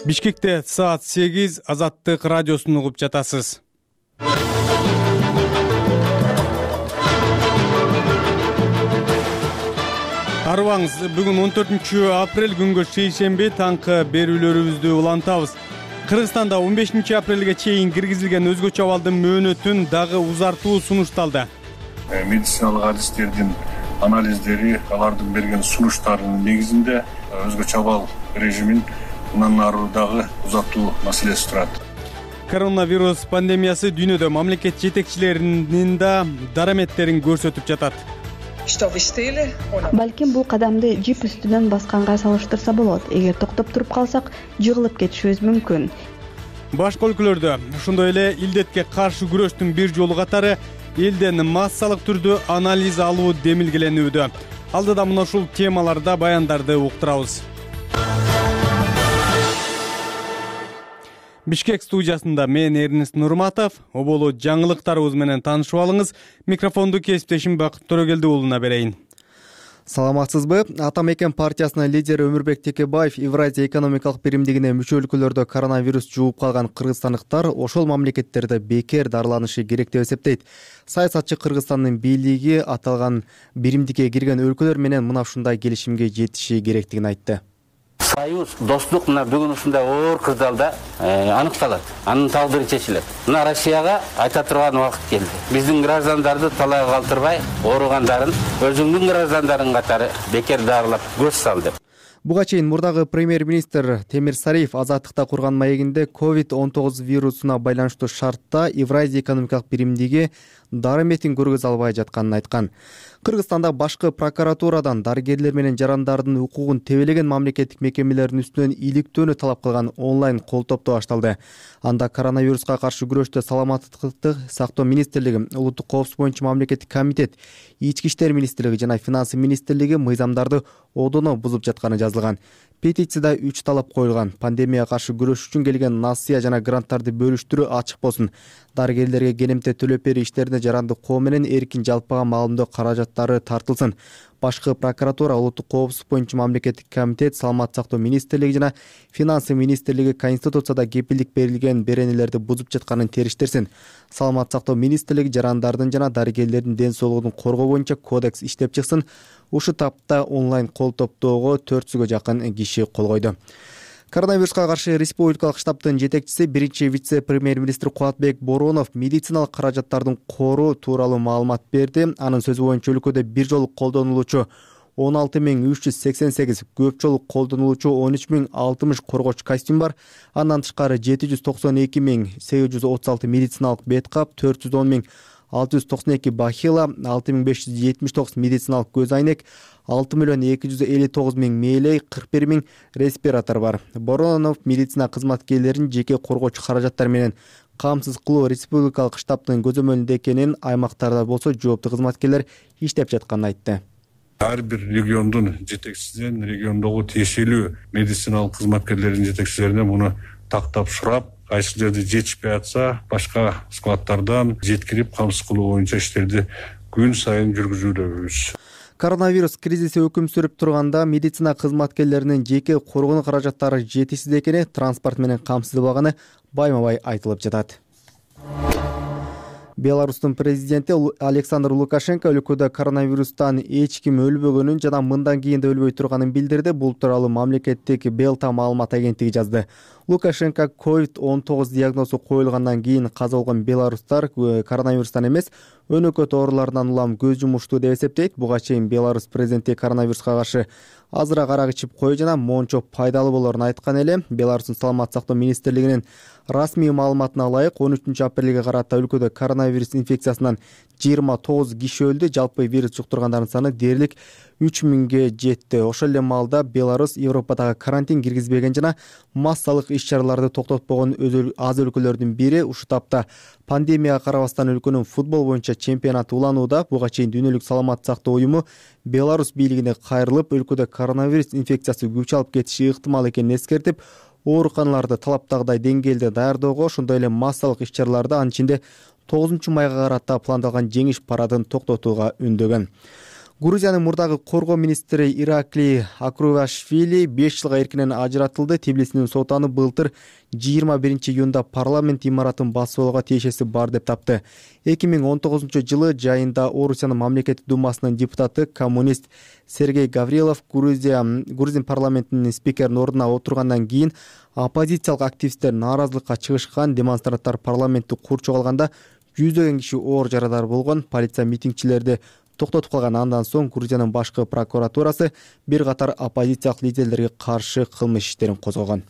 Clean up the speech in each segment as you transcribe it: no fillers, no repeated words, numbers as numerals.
Бишкекте саат 8 Азаттык радиосун угуп жатасыз. Арыбаңыз, бүгүн 14 апрель күнгө шейшемби таңкы берүүлөрүбүздү улантабыз. Кыргызстанда 15 апрелге чейин киргизилген өзгөчө абалдын мөөнөтүн дагы узартуу сунушталды. Медициналык адистердин анализдери, алардын берген сунуштарынын негизинде өзгөчө абал режимин мындан ары дагы узатуу маселеси турат. Коронавирус пандемиясы дүйнөдө мамлекет жетекчилеринин да дараметтерин көрсөтүп жатат. Балким бул кадамды жип үстүнөн басканга салыштырса болот. Эгер токтоп туруп калсак, жыгылып кетишибиз мүмкүн. Башка өлкөлөрдө ошондой эле илдетке каршы күрөштүн бир жолу катары элден массалык түрдө анализ алуу демилгеленүүдө. Алдыда мына ушул темаларда баяндарды уктурабыз. Бишкек студиясында мен Эрнест Нурматов. Оболу жаңылыктарыбыз менен таанышып алыңыз. Микрофонду кесиптешим Бакыт Төрөгелди уулуна берейин. Саламатсызбы? Ата мекен партиясынын лидери Өмүрбек Текебаев Евразия экономикалык биримдигине мүчө өлкөлөрдө коронавирус жугуп калган кыргызстандыктар ошол мамлекеттерде бекер дарыланышы керек деп эсептейт. Саясатчы Кыргызстандын бийлиги аталган биримдикке кирген өлкөлөр менен мына ушундай келишимге жетиши керектигин айтты. Союз, достук мына бүгүн ушундай оор кырдаалда аныкталат. Анын талдыры чечилет. Мына Россияга айта турган убакыт келди. Биздин граждандарды талайга калтырбай, ооругандарын өзүңдүн граждандарың катары бекер дарылап көз сал деп. Буга чейин мурдагы премьер-министр Темир Сариев Азаттыкта курган маегинде COVID-19 вирусуна байланыштуу шартта Евразия экономикалык биримдиги дараметин көргөзө албай жатканын айткан. Кыргызстанда башкы прокуратурадан дарыгерлер менен жарандардын укугун тебелеген мамлекеттик мекемелердин үстүнөн иликтөөнү талап кылган онлайн кол топтоо башталды. Анда коронавируска каршы күрөштө саламаттыкты сактоо министрлиги, улуттук коопсуздук боюнча мамлекеттик комитет, ички иштер министрлиги жана финансы министрлиги мыйзамдарды одоно бузуп жатканы жазылган. Петицияда 3 талап коюлган. Пандемияга каршы күрөш үчүн келген насыя жана гранттарды бөлүштүрүү ачык болсун. Дарыгерлерге келемте төлөп берүү иштерине жаранды коо менен эркин жалпыга маалымдоо каражаттары тартылсын. Башкы прокуратура, улуттук коопсуздук боюнча мамлекеттик комитет, саламаттык сактоо министрлиги жана финансы министрлиги Конституцияда кепилдик берилген беренелерди бузуп жатканын териштирсин. Саламаттык сактоо министрлиги жарандардын жана дарыгерлердин ден соолугун коргоо боюнча кодекс иштеп чыксын. Ушу тапта онлайн кол топтоого 400гө жакын киши кол койду. Коронавируска каршы республикалык штабтын жетекчиси, биринчи вице-премьер-министр Кубатбек Боронов медициналык каражаттардын кору тууралуу маалымат берди. Анын сөзү боюнча өлкөдө бир жолу колдонулуучу 16388, көп жолу колдонулуучу 13060 коргоочу костюм бар. Андан тышкары 792836 медициналык бет кап, 410692 бахила, 6579 медициналык көз айнек, 6259000 мээлей, 41000 респиратор бар. Боронов медицина кызматкерлерин жеке коргоочу каражаттар менен камсыз кылуу республикалык штабтын көзөмөлүндө экенин, аймактарда болсо жооптуу кызматкерлер иштеп жатканын айтты. Ар бир региондун жетекчисинен региондогу тиешелүү медициналык кызматкерлердин жетекчилерине муну тактап сурап, кайсы жерде жетишпей атса, башка складтардан жеткирип камсыз кылуу боюнча иштерди күн сайын жүргүзүүдөбүз. Коронавирус кризиси өкүм сүрүп турганда медицина кызматкерлеринин жеке коргонуу каражаттары жетишсиз экени, транспорт менен камсыздалбаганы байма-бай айтылып жатат. Беларустун президенти Александр Лукашенко өлкөдө коронавирустан эч ким өлбөгөнүн жана мындан кийин да өлбөй турганын билдирди. Бул тууралуу мамлекеттик Белта маалымат агенттиги жазды. Лукашенко COVID-19 диагнозу коюлгандан кийин каза болгон беларустар коронавирустан эмес, өнөкөт оорулардан улам көз жумушту деп эсептейт. Буга чейин Беларусь президенти коронавируска каршы азыраак арак ичип кою жана мончо пайдалуу болорун айткан эле. Беларустун саламаттык сактоо министрлигинин расмий маалыматына ылайык 13 апрелге карата өлкөдө коронавирус инфекциясынан 29 киши өлдү. Жалпы вирус жуктургандардын саны дээрлик 3000ге жетти. Ошол эле маалда Беларусь Европадагы карантин киргизбеген жана массалык иш-чараларды токтотпогон аз өлкөлөрдүн бири. Ушу тапта пандемияга карабастан өлкөнүн футбол боюнча чемпионаты уланууда. Буга чейин дүйнөлүк саламаттык сактоо уюму Беларусь бийлигине кайрылып, өлкөдө коронавирус инфекциясы күч алып кетиши ыктымал экенин эскертип, ооруканаларды талаптагыдай деңгээлде даярдоого, ошондой эле массалык иш-чараларды, анын ичинде 9 майга карата пландалган жеңиш парадын токтотууга үндөгөн. Грузиянын мурдагы коргоо министри Иракли Акрувашвили 5 жылга эркинен ажыратылды. Тбилисинин соту аны былтыр 21-июнда парламент имаратын басып алууга тиешеси бар деп тапты. 2019-жылы жайында Орусиянын мамлекеттик думасынын депутаты коммунист Сергей Гаврилов Грузин парламентинин спикеринин ордуна отургандан кийин оппозициялык активисттер нааразылыкка чыгышкан. Демонстранттар парламентти курчуп алганда жүздөгөн киши оор жарадар болгон. Полиция митингчилерди токтотуп калган. Андан соң Грузиянын башкы прокуратурасы бир катар оппозициялык лидерлерге каршы кылмыш иштерин козгогон.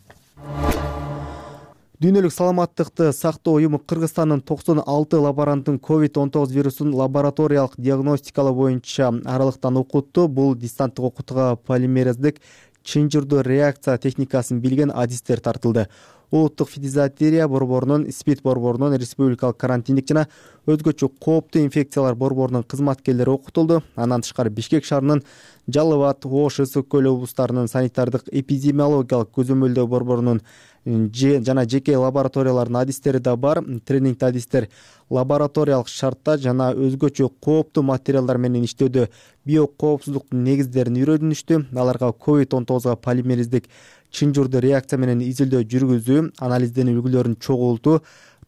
Дүйнөлүк саламаттыкты сактоо уюму Кыргызстандын 96 лаборанттын COVID-19 вирусун лабораториялык диагностикалоо боюнча аралыктан окутту. Бул дистанттык окутууга полимерездик чынжырдуу реакция техникасын билген адистер тартылды. Улуттук фтизиатерия борборунун, СПИД борборунун, республикалык карантиндик жана өзгөчө кооптуу инфекциялар борборунун кызматкерлери окутулду. Андан тышкары Бишкек шаарынын Жалал-Абад, Ош, Ысык көл облустарынын санитардык эпидемиологиялык көзөмөлдөө борборунун жана жеке лабораториялардын адистери да бар. Тренингде адистер лабораториялык шартта жана өзгөчө кооптуу материалдар менен иштөөдө биокоопсуздуктун негиздерин үйрөнүштү. Аларга COVID-19 полимериздик чынжырдуу реакция менен изилдөө жүргүзүү, анализдин үлгүлөрүн чогултуу,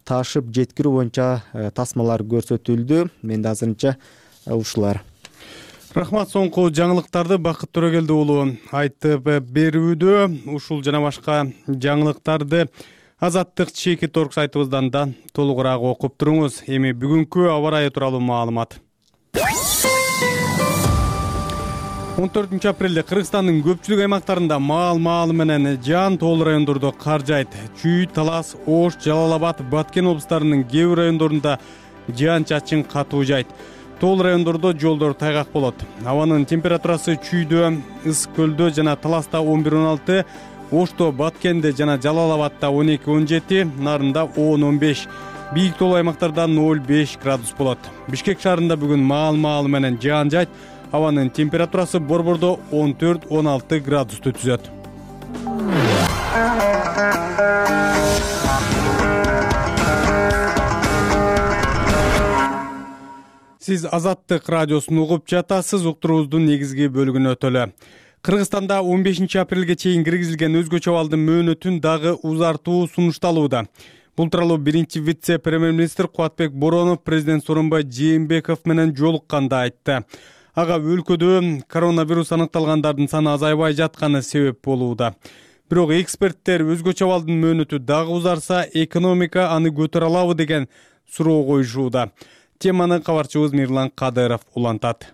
ташып жеткирүү боюнча тасмалар көрсөтүлдү. Менде азырынча ушулар. Рахмат, соңку жаңылыктарды Бакыт Төрөгелди уулу айтып берүүдө. Ушул жана башка жаңылыктарды Азаттык чеки торг сайтыбыздан да толугураак окуп туруңуз. Эми бүгүнкү аба ырайы тууралуу маалымат. 14 апрелде Кыргызстандын көпчүлүк аймактарында маал менен жаан тоол райондордо кар жайт. Чүй, Талас, Ош, Жалал-Абад, Баткен облустарынын кээ бир райондорунда жаан-чачын катуу жайт. Тоол райондордо жолдор тайгак болот. Абанын температурасы Чүйдө, Ысык көлдө жана Таласта 11-16, Ошто, Баткенде жана Жалал-Абадта 12-17, Нарында 10-15. Бийик тоол аймактарда 0-5 градус болот. Бишкек шаарында бүгүн маал менен жаан жайт. Абанын температурасы борбордо 14-16 градусту түзөт. Сиз Азаттык радиосун угуп жатасыз. Уктуруубуздун негизги бөлүгүнө өтөлү. Кыргызстанда 15 апрелге чейин киргизилген өзгөчө абалдын мөөнөтүн дагы узартуу сунушталууда. Бул тууралуу биринчи вице-премьер-министр Кубатбек Боронов президент Сооронбай Жээнбеков менен жолукканда айтты. Ага өлкөдө коронавирус аныкталгандардын саны азайбай жатканы себеп болууда. Бирок эксперттер өзгөчө абалдын мөөнөтү дагы узарса, экономика аны көтөрө алабы деген суроо коюшууда. Теманы кабарчыбыз Мирлан Кадыров улантат.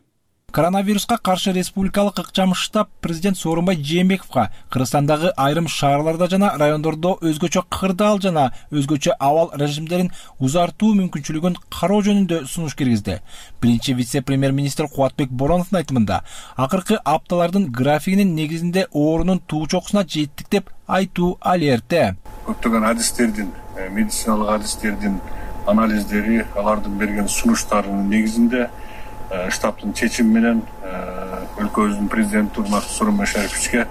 Коронавируска каршы республикалык ыкчам штаб президент Сооронбай Жээнбековго Кыргызстандагы айрым шаарларда жана райондордо өзгөчө кырдаал жана өзгөчө абал режимдерин узартуу мүмкүнчүлүгүн кароо жөнүндө сунуш киргизди. Биринчи вице-премьер-министр Кубатбек Бороновдун айтымында, акыркы апталардын графигинин негизинде оорунун туу чокусуна жеттик деп айтуу алерте. Көптөгөн адистердин, медициналык адистердин анализдери, алардын берген сунуштарынын негизинде штабтын чечими менен өлкөбүздүн президенти урматтуу Сооронбай Шариповичке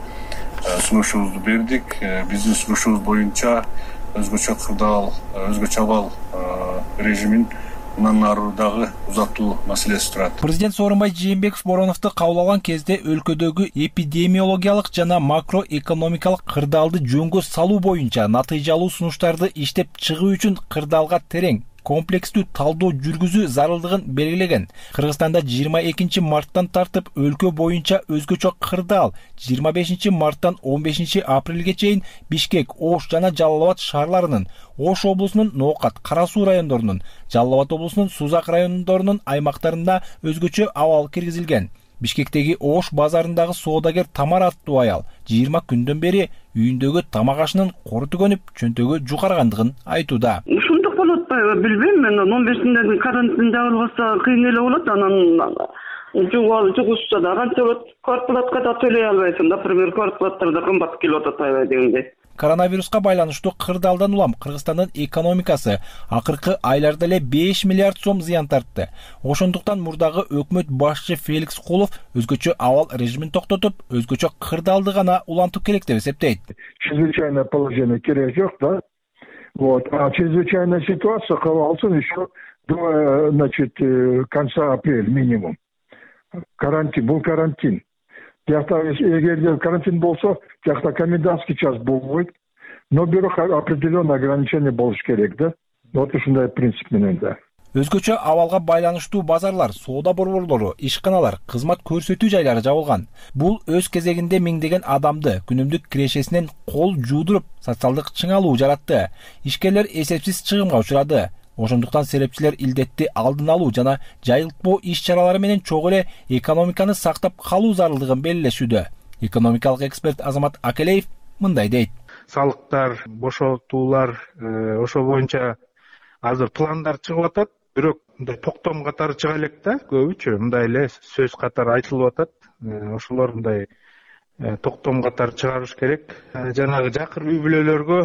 сунушубузду бердик. Биздин сунушубуз боюнча өзгөчө кырдаал, өзгөчө абал режимин мындан ары дагы узатуу маселеси турат. Президент Сооронбай Жээнбеков Бороновду кабыл алган кезде өлкөдөгү эпидемиологиялык жана макроэкономикалык кырдаалды жөнгө салуу боюнча натыйжалуу сунуштарды иштеп чыгуу үчүн кырдаалга терең комплекстүү талдоо жүргүзүү зарылдыгын белгилеген. Кыргызстанда 22 марттан тартып өлкө боюнча өзгөчө кырдаал 25 марттан 15 апрелге чейин Бишкек, Ош жана Жалал-Абад шаарларынын, Ош облусунун Ноокат, Кара Суу райондорунун, Жалал-Абад облусунун Сузак райондорунун аймактарында өзгөчө абал киргизилген. Бишкектеги Ош базарындагы соодагер Тамара аттуу аял 20 күндөн бери үйүндөгү тамак ашынын кору түгөнүп, чөнтөгү жукаргандыгын айтууда. Ушундук болуп атпайбы билбейм мен. 15-ден карантин жабылбаса кыйын эле болот. Анан жугушса да канча болот? Квартплатка да төлөй албайсың. Например, квартплаттар да кымбат келип атпайбы дегендей. Коронавируска байланыштуу кырдаалдан улам Кыргызстандын экономикасы акыркы айларда эле 5 миллиард сом зыян тартты. Ошондуктан мурдагы өкмөт башчы Феликс Кулов өзгөчө абал режимин токтотуп, өзгөчө кырдаалды гана улантуу керек деп эсептейт. Чрезвычайное положение керек жок да. А чрезвычайная ситуация кабыл алсын еще до, конца апреля минимум. карантин, бул карантин. Тиякта эгерде карантин болсо, тиякта комендантский час болбойт. Но бирок определенный ограничение болуш керек да. Вот ушундай принцип менен да. Өзгөчө абалга байланыштуу базарлар, соода борборлору, ишканалар, кызмат көрсөтүү жайлары жабылган. Бул өз кезегинде миңдеген адамды күнүмдүк кирешесинен кол жуудуруп, социалдык чыңалуу жаратты. Ишкерлер эсепсиз чыгымга учурады. Ошондуктан серепчилер илдетти алдын алуу жана жайылтпоо иш-чаралары менен чогуу эле экономиканы сактап калуу зарылдыгын белгилешүүдө. Экономикалык эксперт Азамат Акелеев мындай дейт. Салыктар, бошотуулар, ошол боюнча азыр пландар чыгып атат, бирок мындай токтом катары чыга элек да, көбүчө мындай эле сөз катары айтылып атат. Ошолор мындай токтом катары чыгарыш керек. Жанагы жакыр үй бүлөлөргө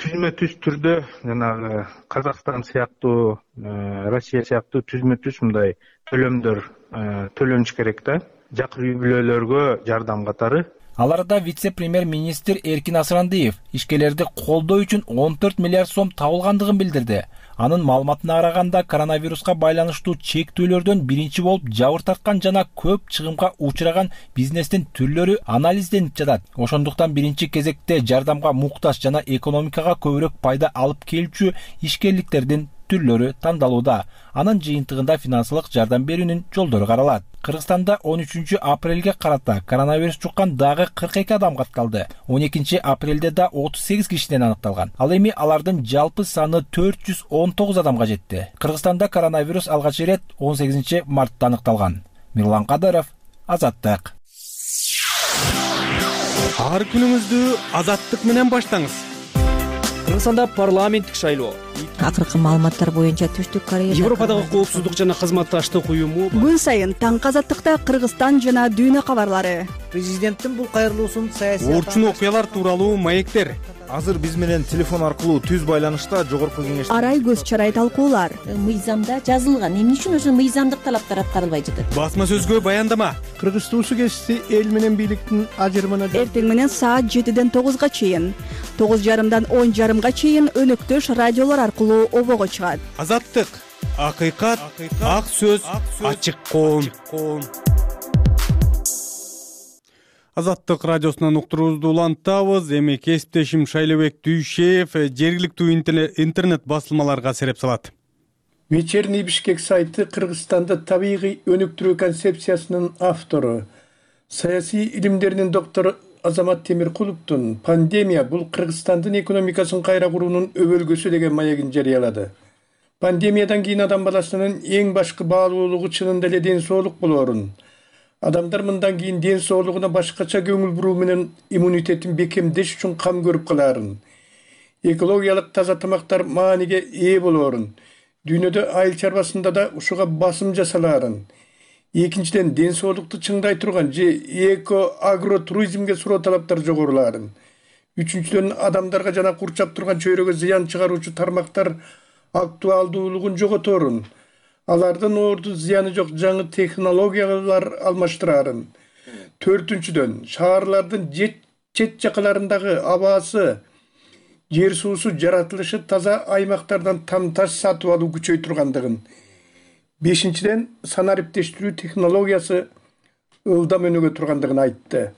түзмө-түз түрдө жанагы Казакстан сыяктуу, Россия сыяктуу түзмө-түз мындай төлөмдөр төлөнүш керек да. Жакыр үй бүлөлөргө жардам катары. Аларда вице-премьер-министр Эркин Асырандиев ишкерлерди колдоо үчүн 14 миллиард сом табылгандыгын билдирди. Анын маалыматына караганда коронавируска байланыштуу чектөөлөрдөн биринчи болуп жабыр тарткан жана көп чыгымга учураган бизнестин түрлөрү анализденип жатат. Ошондуктан биринчи кезекте жардамга муктаж жана экономикага көбүрөөк пайда алып келүүчү ишкерликтердин түрлөрү тандалууда. Анын жыйынтыгында финансылык жардам берүүнүн жолдору каралат. Кыргызстанда 13 апрелге карата коронавирус жуккан дагы 42 адам катталды. 12 апрелде да 38 кишиден аныкталган. Ал эми алардын жалпы саны 419 адамга жетти. Кыргызстанда коронавирус алгач ирет 18 мартта аныкталган. Мирлан Кадыров, Азаттык. Ар күнүңүздү Азаттык менен баштаңыз. Кыргызстанда парламенттик шайлоо. Акыркы маалыматтар боюнча Түштүк Корея Европадагы коопсуздук жана кызматташтык уюму күн сайын таңкы Азаттыкта Кыргызстан жана дүйнө кабарлары. Президенттин бул кайрылуусун саясий Орчун окуялар тууралуу маектер. Азыр биз менен телефон аркылуу түз байланышта жогорку кеңеш Арай көз чарай талкуулар. Мыйзамда жазылган. Эмне үчүн ошо мыйзамдык талаптар аткарылбай жатат? Басма сөзгө баяндама. Кыргыз туусу кесиси эл менен бийликтин ажырымына Эртең менен саат 7-ден 9-га чейин, 9:30-дан 10:30-га чейин өнөктөш радиолор аркылуу обого чыгат. Азаттык, акыйкат, ак сөз, ачык коом. Азаттык радиосунан уктуруубузду улантабыз. Эми кесиптешим Шайлебек Дүйшеев жергиликтүү интернет басылмаларга сереп салат. Вечерний Бишкек сайты Кыргызстанда табигый өнүктүрүү концепциясынын автору, саясий илимдеринин доктору Азамат Темиркуловдун пандемия бул Кыргызстандын экономикасын кайра куруунун өбөлгөсү деген маегин жарыялады. Пандемиядан кийин адам баласынын эң башкы баалуулугу чынында эле ден соолук болоорун. Адамдар мындан кийин ден соолугуна башкача көңүл буруу менен иммунитетин бекемдеш үчүн кам көрүп калаарын. Экологиялык таза тамактар мааниге ээ болоорун. Дүйнөдө айыл чарбасында да ушуга басым жасалаарын. Экинчиден, ден соолукту чыңдай турган же эко-агро туризмге суроо талаптар жогорулаарын. Үчүнчүдөн, адамдарга жана курчап турган чөйрөгө зыян чыгаруучу тармактар актуалдуулугун жоготорун. Алардын орду зыяны жок жаңы технологиялар алмаштыраарын. Төртүнчүдөн, шаарлардын чет жакаларындагы абасы, жер суусу жаратылышы таза аймактардан тамташ сатып алуу күчөй тургандыгын. Бешинчиден, санариптештирүү технологиясы ылдам өнүгө тургандыгын айтты.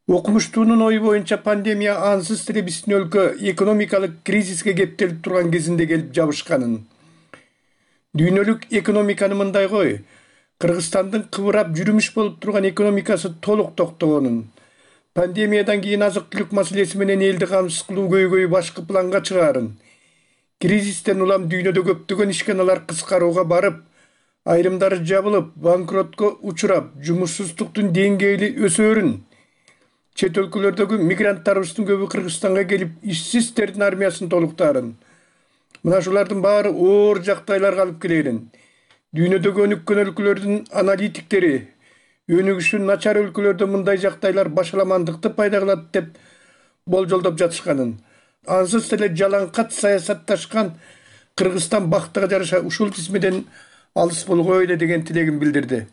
Окумуштуунун ою боюнча пандемия ансыз деле биздин өлкө экономикалык кризиске кептелип турган кезинде келип жабышканын. Дүйнөлүк экономиканы мындай кой, Кыргызстандын кыбырап жүрүмүш болуп турган экономикасы толук токтогонун. Пандемиядан кийин азык-түлүк маселеси менен элди камсыз кылуу көйгөйү башкы планга чыгаарын. Кризистен улам дүйнөдө көптөгөн ишканалар кыскарууга барып, айрымдары жабылып, банкротко учурап, жумушсуздуктун деңгээли өсөөрүн. Чет өлкөлөрдөгү мигранттарыбыздын көбү Кыргызстанга келип, ишсиздердин армиясын толуктаарын. Мына шулардын баары оор жактайларга алып келерин. Дүйнөдөгү өнүккөн өлкөлөрдүн аналитиктери өнүгүшү начар өлкөлөрдө мындай жактайлар башаламандыкты пайда кылат деп болжолдоп жатышканын. Ансыз деле жалаңкат саясатташкан Кыргызстан бактыга жараша ушул тизмеден алыс болгой эле деген тилегин билдирди.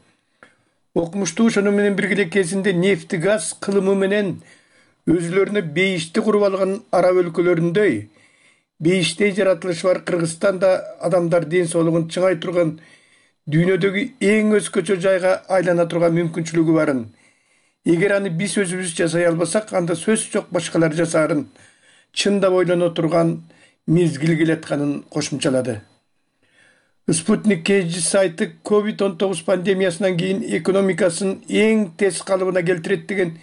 Окумуштуу ошону менен бирге кезинде нефти газ кылымы менен өзүлөрүнө бейишти куруп алган араб өлкөлөрүндөй бейиштей жаратылышы бар Кыргызстанда адамдар ден соолугун чыңай турган дүйнөдөгү эң өзгөчө жайга айлана турган мүмкүнчүлүгү барын. Эгер аны биз өзүбүз жасай албасак, анда сөз жок башкалар жасаарын чындап ойлоно турган мезгил келатканын кошумчалады. Спутник KG сайты COVID-19 пандемиясынан кийин экономикасын эң тез калыбына келтирет деген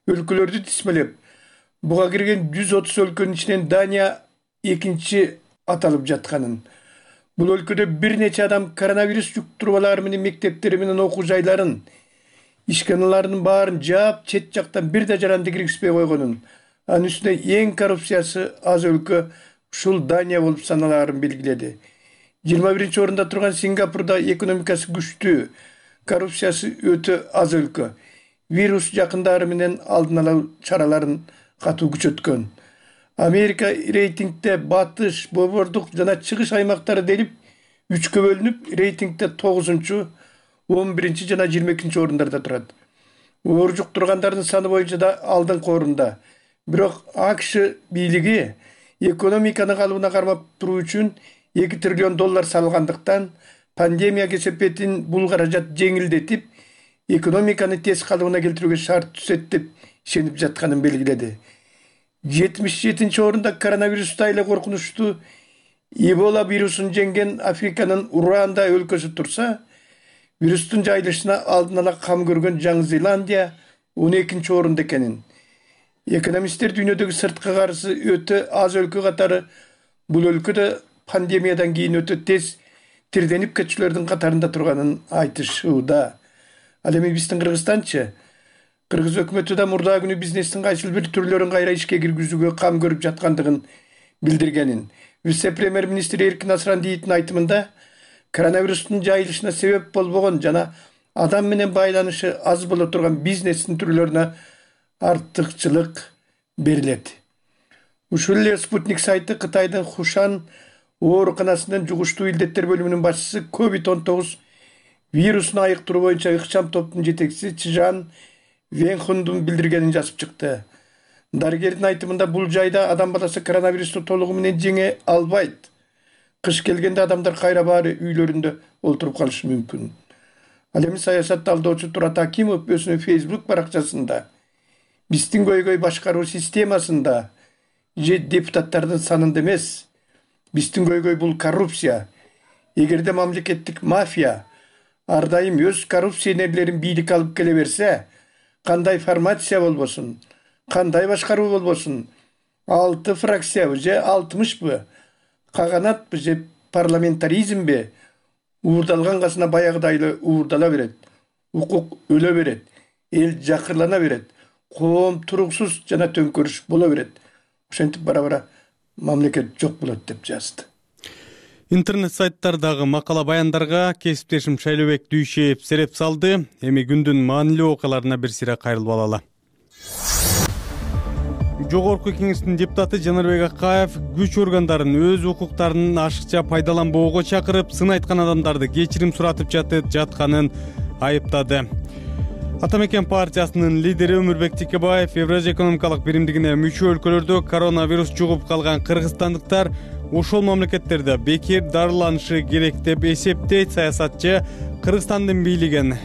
өлкөлөрдү тизмелеп, буга кирген 130 өлкөнүн ичинен Дания экинчи аталып жатканын. Бул өлкөдө бир нече адам коронавирус жуктуруп алары менен мектептери менен окуу жайларын, ишканалардын баарын жаап, чет жактан бир да жаранды киргизбей койгонун, анын үстүнө эң коррупциясы аз өлкө ушул Дания болуп саналаарын белгиледи. 21 орунда турган Сингапурда экономикасы күчтүү, коррупциясы өтө аз өлкө. Вирус жакындары менен алдын алуу чараларын катуу күчөткөн. Америка рейтингде батыш, борбордук жана чыгыш аймактары делип 3кө бөлүнүп, рейтингде 9-чу, 11-чи жана 22-чи орундарда турат. Оор жуктургандардын саны боюнча да алдыңкы орунда. Бирок АКШ бийлиги экономиканы калыбына кармап туруу үчүн $2 триллион салгандыктан пандемия кесепетин бул каражат жеңилдетип, экономиканы тез калыбына келтирүүгө шарт түзөт деп ишенип жатканын белгиледи. 77-чи орунда коронавирустай эле коркунучтуу Эбола вирусун жеңген Африканын Руанда өлкөсү турса, вирустун жайылышына алдын ала кам көргөн Жаңы Зеландия 12-чи орунда экенин. Экономисттер дүйнөдөгү сырткы карызы өтө аз өлкө катары бул өлкөдө пандемиядан кийин өтө тез тирденип кетчүлөрдүн катарында турганын айтышууда. Ал эми биздин Кыргызстанчы, Кыргыз өкмөтү да мурдагы күнү бизнестин кайсыл бир түрлөрүн кайра ишке киргизүүгө кам көрүп жаткандыгын билдиргенин. Вице-премьер-министр Эркин Асрандиевдин айтымында, коронавирустун жайылышына себеп болбогон жана адам менен байланышы аз боло турган бизнестин түрлөрүнө артыкчылык берилет. Ушул эле Спутник сайты Кытайдын Хушан ооруканасынын жугуштуу илдеттер бөлүмүнүн башчысы COVID-19 вирусун айыктыруу боюнча ыкчам топтун жетекчиси Чжан Венхундун билдиргенин жазып чыкты. Дарыгердин айтымында бул жайда адам баласы коронавирусту толугу менен жеңе албайт. Кыш келгенде адамдар кайра баары үйлөрүндө олтуруп калышы мүмкүн. Ал эми саясат талдоочу Турат Акимов өзүнүн Facebook баракчасында биздин көйгөй башкаруу системасында же депутаттардын санында эмес, биздин көйгөй бул коррупция. Эгерде мамлекеттик мафия ар дайым өз коррупционерлерин бийликке алып келе берсе, кандай формация болбосун, кандай башкаруу болбосун, 6 фракциябы же 60бы, каганатпы же парламентаризмби, уурдалган касына баягыдай эле уурдала берет, укук өлө берет, эл жакырлана берет, коом туруксуз жана төңкөрүш боло берет. Ошентип бара-бара мамлекет жок болот деп жазды. Интернет сайттардагы макала баяндарга кесиптешим Шайлообек Дүйшеев сереп салды. Эми күндүн маанилүү окуяларына бир сыйра кайрылып алалы. Жогорку кеңештин депутаты Жанарбек Акаев күч органдарын өз укуктарын ашыкча пайдаланбоого чакырып, сын айткан адамдарды кечирим суратып жатканын айыптады. Атамекен партиясынын лидери Өмүрбек Текебаев Евразия экономикалык биримдигине мүчө өлкөлөрдө коронавирус жугуп калган кыргызстандыктар ошол мамлекеттерде бекер дарыланышы керек деп эсептейт. Саясатчы Кыргызстандын бийлигин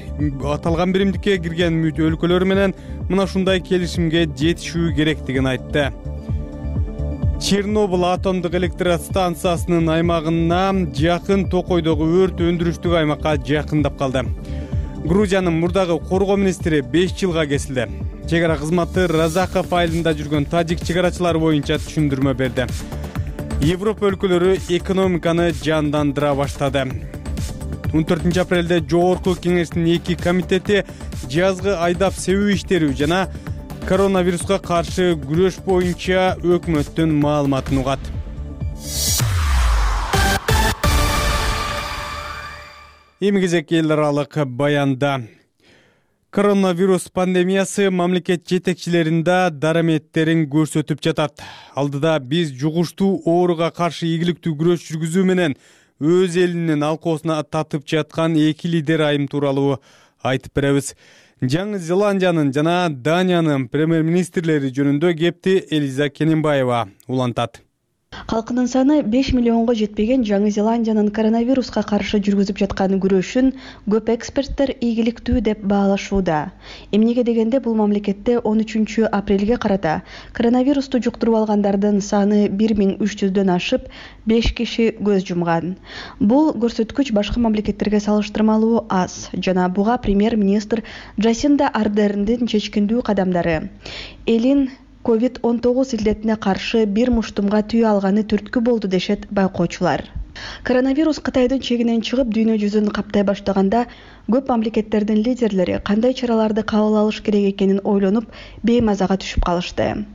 аталган биримдикке кирген өлкөлөр менен мына ушундай келишимге жетишүү керектигин айтты. Чернобыль атомдук электростанциясынын аймагына жакын Токойдогу өрт өндүрүштүк аймакка жакындап калды. Грузиянын мурдагы коргоо министри 5 жылга кесилди. Чек ара кызматы Разаков айылында жүргөн тажик чек арачылары боюнча түшүндүрмө берди. Европа өлкөлөрү экономиканы жандандыра баштады. 14 апрелде Жогорку кеңештин 2 комитети жазгы айдап себүү иштерүү жана коронавируска каршы күрөш боюнча өкмөттүн маалыматын угат. Эми кезек эл аралык баянда. Коронавирус пандемиясы мамлекет жетекчилеринде дараметтерин көрсөтүп жатат. Алдыда биз жугуштуу ооруга каршы ийгиликтүү күрөш жүргүзүү менен өз элинин алкоосуна татып жаткан 2 лидер айым тууралуу айтып беребиз. Жаңы Зеландиянын жана Даниянын премьер-министрлери жөнүндө кепти Элиза Кененбаева улантат. Калкынын саны 5 миллионго жетпеген Жаңы Зеландиянын коронавируска каршы жүргүзүп жаткан күрөшүн көп эксперттер ийгиликтүү деп баалашууда. Эмнеге дегенде бул мамлекетте 13 апрелге карата коронавирусту жуктуруп алгандардын саны 1300дөн ашып, 5 киши көз жумган. Бул көрсөткүч башка мамлекеттерге салыштырмалуу аз жана буга премьер-министр Джасинда Ардерндин чечкиндүү кадамдары элин COVID-19 илдетине каршы бир муштумга түйө алганы түрткү болду дешет байкоочулар. Коронавирус Кытайдын чегинен чыгып дүйнө жүзүн каптай баштаганда көп мамлекеттердин лидерлери кандай чараларды кабыл алыш керек экенин ойлонуп беймазага түшүп калышты.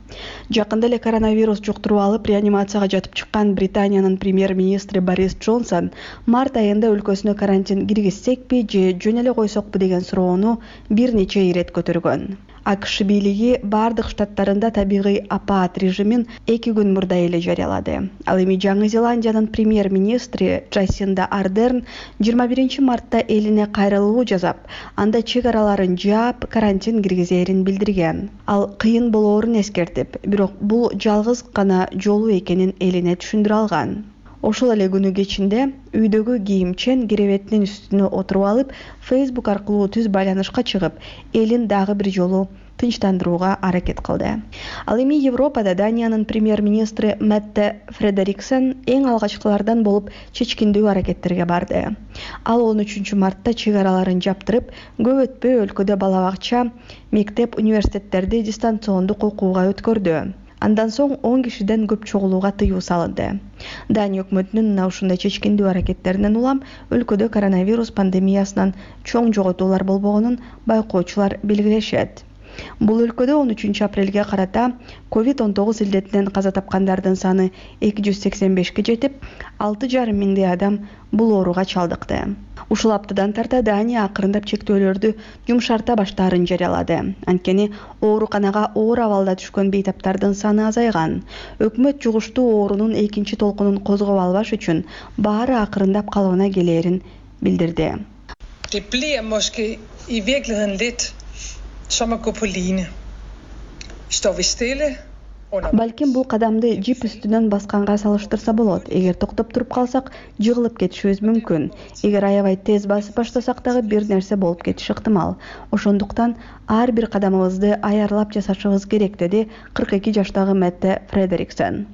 Жакында эле коронавирус жуктуруп алып реанимацияга жатып чыккан Британиянын премьер-министри Борис Джонсон март айында өлкөсүнө карантин киргизсекпи же жөн эле койсокпу деген суроону бир нече ирет көтөргөн. АКШ бийлиги бардык штаттарында табигый апат режимин 2 күн мурда эле жарыялады. Ал эми Жаңы Зеландиянын премьер-министри Джасинда Ардерн 21 мартта элине кайрылуу жасап, анда чек араларын жаап, карантин киргизерин билдирген. Ал кыйын болоорун эскертип, бирок бул жалгыз гана жолу экенин элине түшүндүрө алган. Ошол эле күнү кечинде үйдөгү кийимчен керебетинин үстүнө отуруп алып, Facebook аркылуу түз байланышка чыгып, элин дагы бир жолу тынчтандырууга аракет кылды. Ал эми Европада Даниянын премьер-министри Метте Фредериксен эң алгачкылардан болуп чечкиндүү аракеттерге барды. Ал 13 мартта чек араларын жаптырып, көп өтпөй өлкөдө бала бакча, мектеп, университеттерди дистанциондук окууга өткөрдү. Андан соң 10 кишиден көп чогулууга тыюу салынды. Дания өкмөтүнүн мына ушундай чечкиндүү аракеттеринен улам өлкөдө коронавирус пандемиясынан чоң жоготуулар болбогонун байкоочулар белгилешет. Бул өлкөдө 13 апрелге карата COVID-19 илдетинен каза тапкандардын саны 285ке жетип, 6,5 миңдей адам бул ооруга чалдыкты. Ушул аптадан тарта Дания акырындап чектөөлөрдү жумшарта баштаарын жарыялады. Анткени ооруканага оор абалда түшкөн бейтаптардын саны азайган. Өкмөт жугуштуу оорунун экинчи толкунун козгоп албаш үчүн баары акырындап калыбына келээрин билдирди. Det bliver måske i virkeligheden lidt som at gå på line. Står vi stille? Балким бул кадамды жип үстүнөн басканга салыштырса болот. Эгер токтоп туруп калсак, жыгылып кетишибиз мүмкүн. Эгер аябай тез басып баштасак дагы бир нерсе болуп кетиши ыктымал. Ошондуктан ар бир кадамыбызды аярлап жасашыбыз керек, деди 42 жаштагы Метте Фредериксен.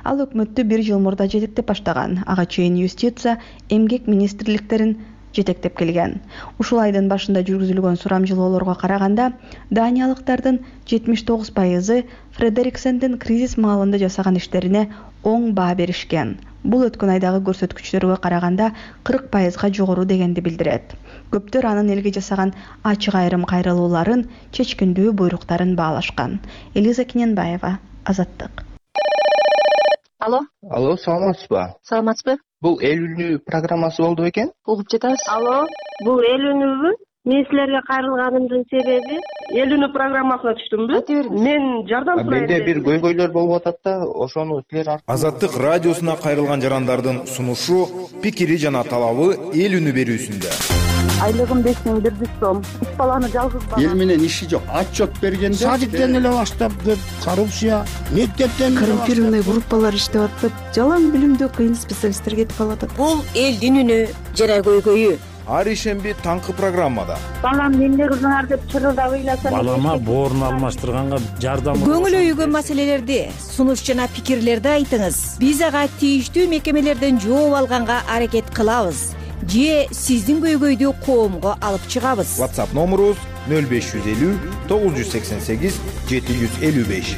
Ал өкмөттү 1 жыл мурда жетектеп баштаган. Ага чейин юстиция, эмгек министрликтерин жетектеп келген. Ушул айдын башында жүргүзүлгөн сурамжылоолорго караганда, даниялыктардын 79% Фредериксендин кризис маалында жасаган иштерине оң баа беришкен. Бул өткөн айдагы көрсөткүчтөргө караганда 40%га жогору дегенди билдирет. Көптөр анын элге жасаган ачык айрым кайрылууларын, чечкиндүү буйруктарын баалашкан. Элиза Кененбаева, Азаттык. Алло, саламатсызбы? Саламатсызбы? Бул эл үнү программасы болду бекен? Угуп жатабыз. Алло, бул эл үнүбү? Мен силерге кайрылганымдын себеби эл үнү программасына түштүмбү? Мен жардам сурайм. Менде бир көйгөйлөр болуп атат да, ошону силер Азаттык радиосуна кайрылган жарандардын сунушу, пикири жана талабы эл үнү берүүсүндө. Айлыгым 5100 сом. 3 баланы жалгыз бала. Эл менен иши жок. Отчет бергенде садиктен эле баштап деп коррупция, мектептен коррумпированный группалар иштеп атат. Жалаң билимдүү кыйын специалисттер кетип калат. Бул элдин үнү жана көйгөйү. Ар ишемби таңкы программада. Балам эмне кылдыңар деп чырылдап ыйласам. Балама боорун алмаштырганга жардам. Көңүл өйгөн маселелерди, сунуш жана пикирлерди айтыңыз. Биз ага тийиштүү мекемелерден жооп алганга аракет кылабыз. Же сиздин көйгөйдү коомго алып чыгабыз. WhatsApp номерубуз 0550 988 755.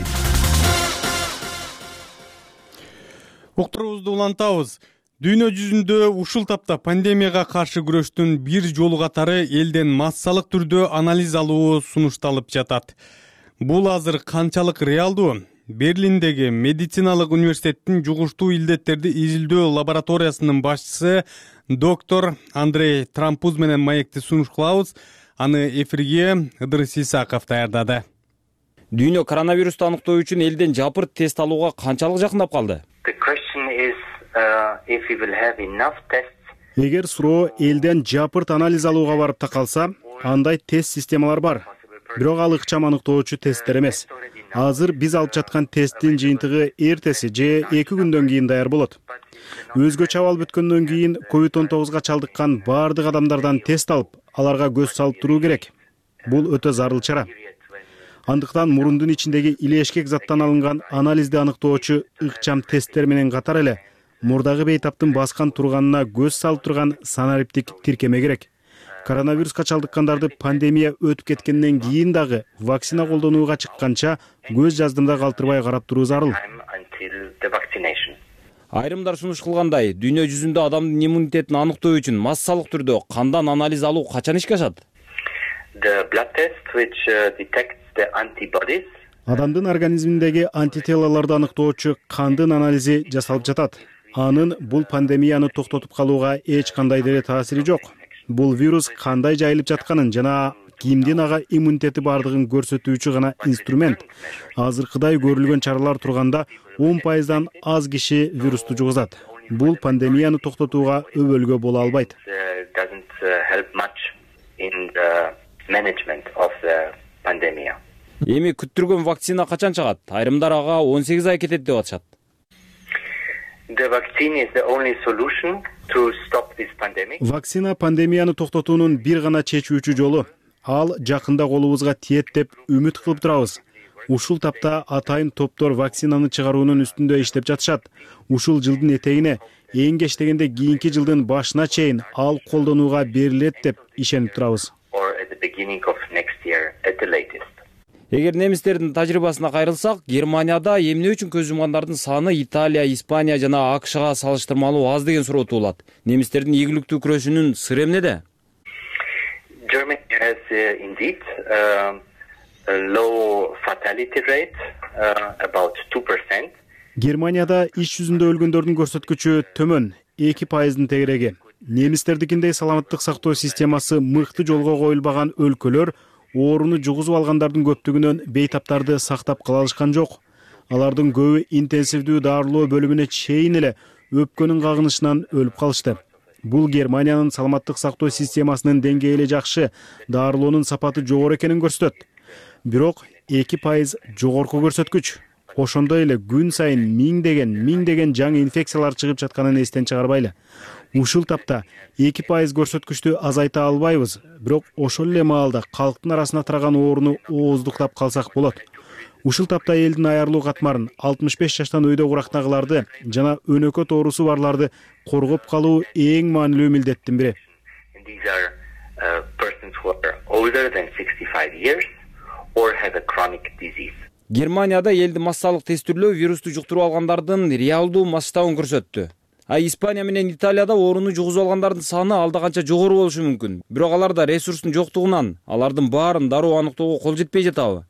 Уктурубузду улантабыз. Дүйнө жүзүндө ушул тапта пандемияга каршы күрөштүн бир жолу катары элден массалык түрдө анализ алуу сунушталып жатат. Бул азыр канчалык реалдуу? Берлиндеги медициналык университеттин жугуштуу илдеттерди изилдөө лабораториясынын башчысы доктор Андрей Трампуз менен маекти сунуш кылабыз. Аны эфирге Ыдырыс Исаков даярдады. Дүйнө коронавирусту аныктоо үчүн элден жапырт тест алууга канчалык жакындап калды? Эгер суроо элден жапырт анализ алууга барып такалса, андай тест системалар бар. Бирок ал ыкчам аныктоочу тесттер эмес. Азыр биз алып жаткан тесттин жыйынтыгы эртеси же 2 күндөн кийин даяр болот. Өзгөчө абал бүткөндөн кийин COVID-19 чалдыккан бардык адамдардан тест алып, аларга көз салып туруу керек. Бул өтө зарыл чара. Андыктан мурундун ичиндеги илешкек заттан алынган анализди аныктоочу ыкчам тесттер менен катар эле мурдагы бейтаптын баскан турганына көз салып турган санариптик тиркеме керек. Коронавируска чалдыккандарды пандемия өтүп кеткенден кийин дагы вакцина колдонууга чыкканча көз жаздымда калтырбай карап туруу зарыл. Айрымдар сунуш кылгандай, дүйнө жүзүндө адамдын иммунитетин аныктоо үчүн массалык түрдө кандан анализ алуу качан ишке ашат? Адамдын организминдеги антителолорду аныктоочу кандын анализи жасалып жатат. Анын бул пандемияны токтотуп калууга эч кандай деле таасири жок. Бул вирус кандай жайылып жатканын жана кимдин ага иммунитети бардыгын көрсөтүүчү гана инструмент. Азыркыдай көрүлгөн чаралар турганда 10%дан аз киши вирусту жугузат. Бул пандемияны токтотууга өбөлгө боло албайт. Эми күттүргөн вакцина качан чыгат? Айрымдар ага 18 ай кетет деп атышат. Вакцина пандемияны токтотуунун бир гана чечүүчү жолу. Ал жакында колубузга тиет деп үмүт кылып турабыз. Ушул тапта атайын топтор вакцинаны чыгаруунун үстүндө иштеп жатышат. Ушул жылдын этегине, эң кеч дегенде кийинки жылдын башына чейин ал колдонууга берилет деп ишенип турабыз. Эгер немистердин тажрыйбасына кайрылсак, Германияда эмне үчүн көз жумгандардын саны Италия, Испания жана АКШга салыштырмалуу аз деген суроо туулат. Немистердин ийгиликтүү күрөшүнүн сыры эмнеде? Германияда иш жүзүндө өлгөндөрдүн көрсөткүчү төмөн, 2%дын тегереги. Немистердикиндей саламаттык сактоо системасы мыкты жолго коюлбаган өлкөлөр ооруну жугузуп алгандардын көптүгүнөн бейтаптарды сактап кала алышкан жок. Алардын көбү интенсивдүү дарылоо бөлүмүнө чейин эле өпкөнүн кагынышынан өлүп калышты. Бул Германиянын саламаттык сактоо системасынын деңгээли жакшы, дарылоонун сапаты жогору экенин көрсөтөт. Бирок 2% жогорку көрсөткүч. Ошондой эле күн сайын миңдеген жаңы инфекциялар чыгып жатканын эстен чыгарбайлы. Ушул тапта 2% көрсөткүчтү азайта албайбыз, бирок ошол эле маалда калктын арасына тараган ооруну ооздуктап калсак болот. Ушул тапта элдин аярлуу катмарын 65 жаштан өйдө курактагыларды жана өнөкөт оорусу барларды коргоп калуу эң маанилүү милдеттин бири. Германияда элди массалык тестирлөө вирусту жуктуруп алгандардын реалдуу масштабын көрсөттү. Испания менен Италияда ооруну жугузуп алгандардын саны алда канча жогору болушу мүмкүн. Бирок аларда ресурстун жоктугунан алардын баарын дароо аныктоого кол жетпей жатабы?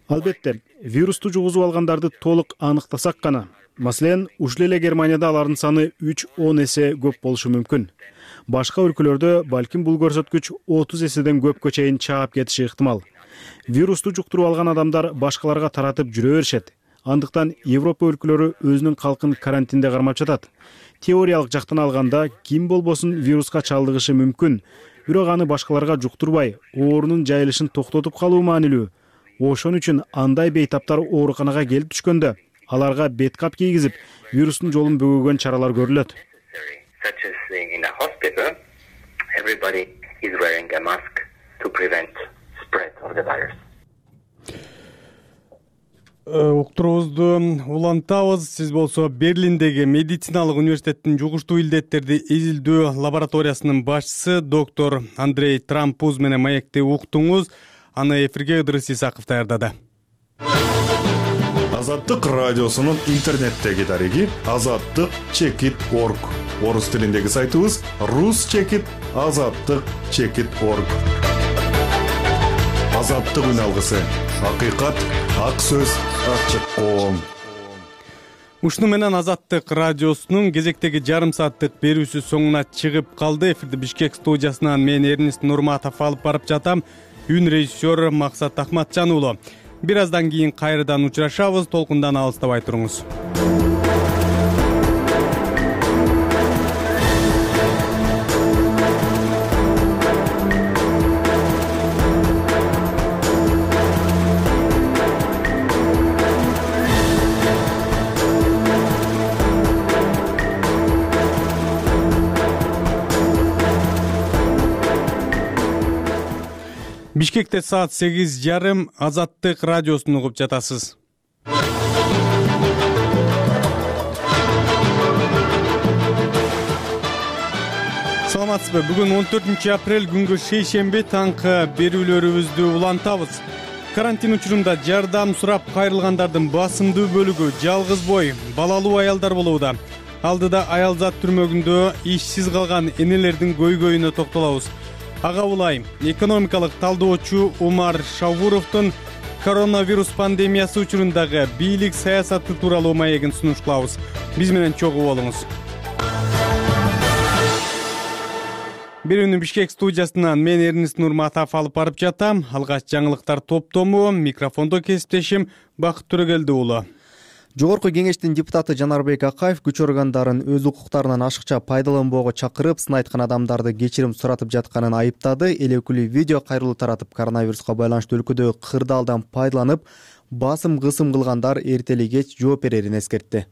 Албетте, вирусту жугузуп алгандарды толук аныктасак гана. Маселен, ушул эле Германияда алардын саны 3-10 эсе көп болушу мүмкүн. Башка өлкөлөрдө балким бул көрсөткүч 30 эседен көпкө чейин чаап кетиши ыктымал. Вирусту жуктуруп алган адамдар башкаларга таратып жүрө беришет. Андыктан Европа өлкөлөрү өзүнүн калкын карантинде кармап жатат. Теориялык жактан алганда ким болбосун вируска чалдыгышы мүмкүн, бирок аны башкаларга жуктурбай, оорунун жайылышын токтотуп калуу маанилүү. Ошон үчүн андай бейтаптар ооруканага келип түшкөндө аларга беткап кийгизип, вирустун жолун бөгөгөн чаралар көрүлөт. Уктуруубузду улантабыз. Сиз болсо Берлиндеги медициналык университеттин жугуштуу илдеттерди изилдөө лабораториясынын башчысы доктор Андрей Трампуз менен маекти уктуңуз. Аны эфирге Ыдырыс Исаков даярдады. Азаттык радиосунун интернеттеги дареги azattyk.org. Орус тилиндеги сайтыбыз rus-azattyk.org. Азаттык үн алгысы. Акыйкат, ак сөз, ачык коом. Ушуну менен Азаттык радиосунун кезектеги жарым сааттык берүүсү соңуна чыгып калды. Эфирди Бишкек студиясынан мен Эрнест Нурматов алып барып жатам. Үн режиссер Максат Ахматжан уулу. Бир аздан кийин кайрадан учурашабыз. Толкундан алыстабай туруңуз. Бишкекте саат 8:30 Азаттык радиосун угуп жатасыз. Саламатсызбы? Бүгүн 14 апрель күнгө шейшемби таңкы берүүлөрүбүздү улантабыз. Карантин учурунда жардам сурап кайрылгандардын басымдуу бөлүгү жалгыз бой, балалуу аялдар болууда. Алдыда аялзат түрмөгүндө ишсиз калган энелердин көйгөйүнө токтолобуз. Ага улай, экономикалык талдоочу Умар Шавуровдун коронавирус пандемиясы учурундагы бийлик саясаты тууралуу маегин сунуш кылабыз. Биз менен чогуу болуңуз. Берүүнү Бишкек студиясынан мен Эрнис Нурматов алып барып жатам. Алгач жаңылыктар топтому, микрофондо кесиптешим Бакыт Төрөгелди уулу. Жогорку кеңештин депутаты Жанарбек Акаев күч органдарын өз укуктарынан ашыкча пайдаланбоого чакырып, сын айткан адамдарды кечирим суратып жатканын айыптады. Эл өкүлү видео кайрылуу таратып, коронавируска байланыштуу өлкөдөгү кырдаалдан пайдаланып, басым кысым кылгандар эртели кеч жооп берерин эскертти.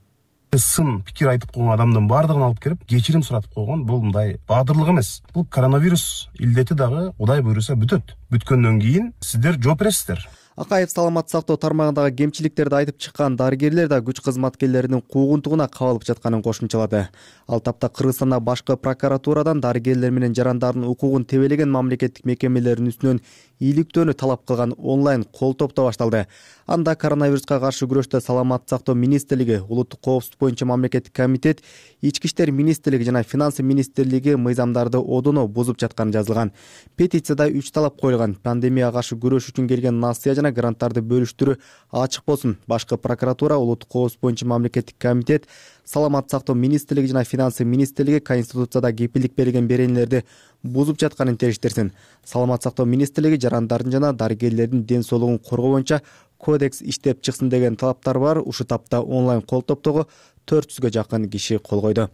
Сын пикир айтып койгон адамдын баардыгын алып келип кечирим суратып койгон бул мындай баадырлык эмес. Бул коронавирус илдети дагы Кудай буйруса бүтөт. Бүткөндөн кийин сиздер жооп бересиздер. Акаев саламаттык сактоо тармагындагы кемчиликтерди айтып чыккан дарыгерлер да күч кызматкерлеринин куугунтугуна кабылып жатканын кошумчалады. Ал тапта Кыргызстанда башкы прокуратурадан дарыгерлер менен жарандардын укугун тебелеген мамлекеттик мекемелердин үстүнөн ийгиликтөөнү талап кылган онлайн кол топто башталды. Анда коронавируска каршы күрөштө саламаттык сактоо министрлиги, улуттук коопсуздук боюнча мамлекеттик комитет, Ички иштер министрлиги жана финансы министрлиги мыйзамдарды одоно бузуп жатканы жазылган. Петицияда 3 талап коюлган: пандемияга каршы күрөш үчүн келген насыя жана гранттарды бөлүштүрүү ачык болсун. Башкы прокуратура, улуттук коопсуздук боюнча мамлекеттик комитет, саламаттык сактоо министрлиги жана финансы министрлиги Конституцияда кепилдик берилген беренелерди бузуп жатканын териштирсин. Саламаттык сактоо министрлиги жарандардын жана дарыгерлердин ден соолугун коргоо боюнча кодекс иштеп чыксын деген талаптар бар. Ушу тапта онлайн кол топтогу 400гө жакын киши кол койду.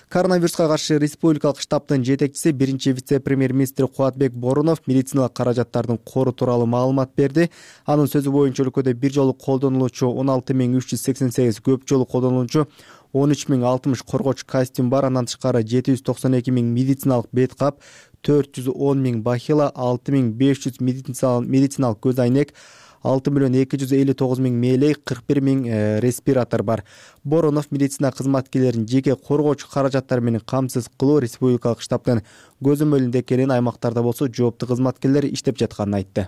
Коронавируска каршы республикалык штабтын жетекчиси, биринчи вице-премьер-министр Кубатбек Боронов медициналык каражаттардын кору тууралуу маалымат берди. Анын сөзү боюнча өлкөдө бир жолу колдонулуучу 16388, көп жолу колдонулуучу 13060 коргоочу костюм бар. Андан тышкары 792 000 медициналык бет кап, 410 000 бахила, 6500 медициналык көз айнек, 6 259 000 мээлей, 41 000 респиратор бар. Боронов медицина кызматкерлерин жеке коргоочу каражаттар менен камсыз кылуу республикалык штабтын көзөмөлүндө экенин, аймактарда болсо жооптуу кызматкерлер иштеп жатканын айтты.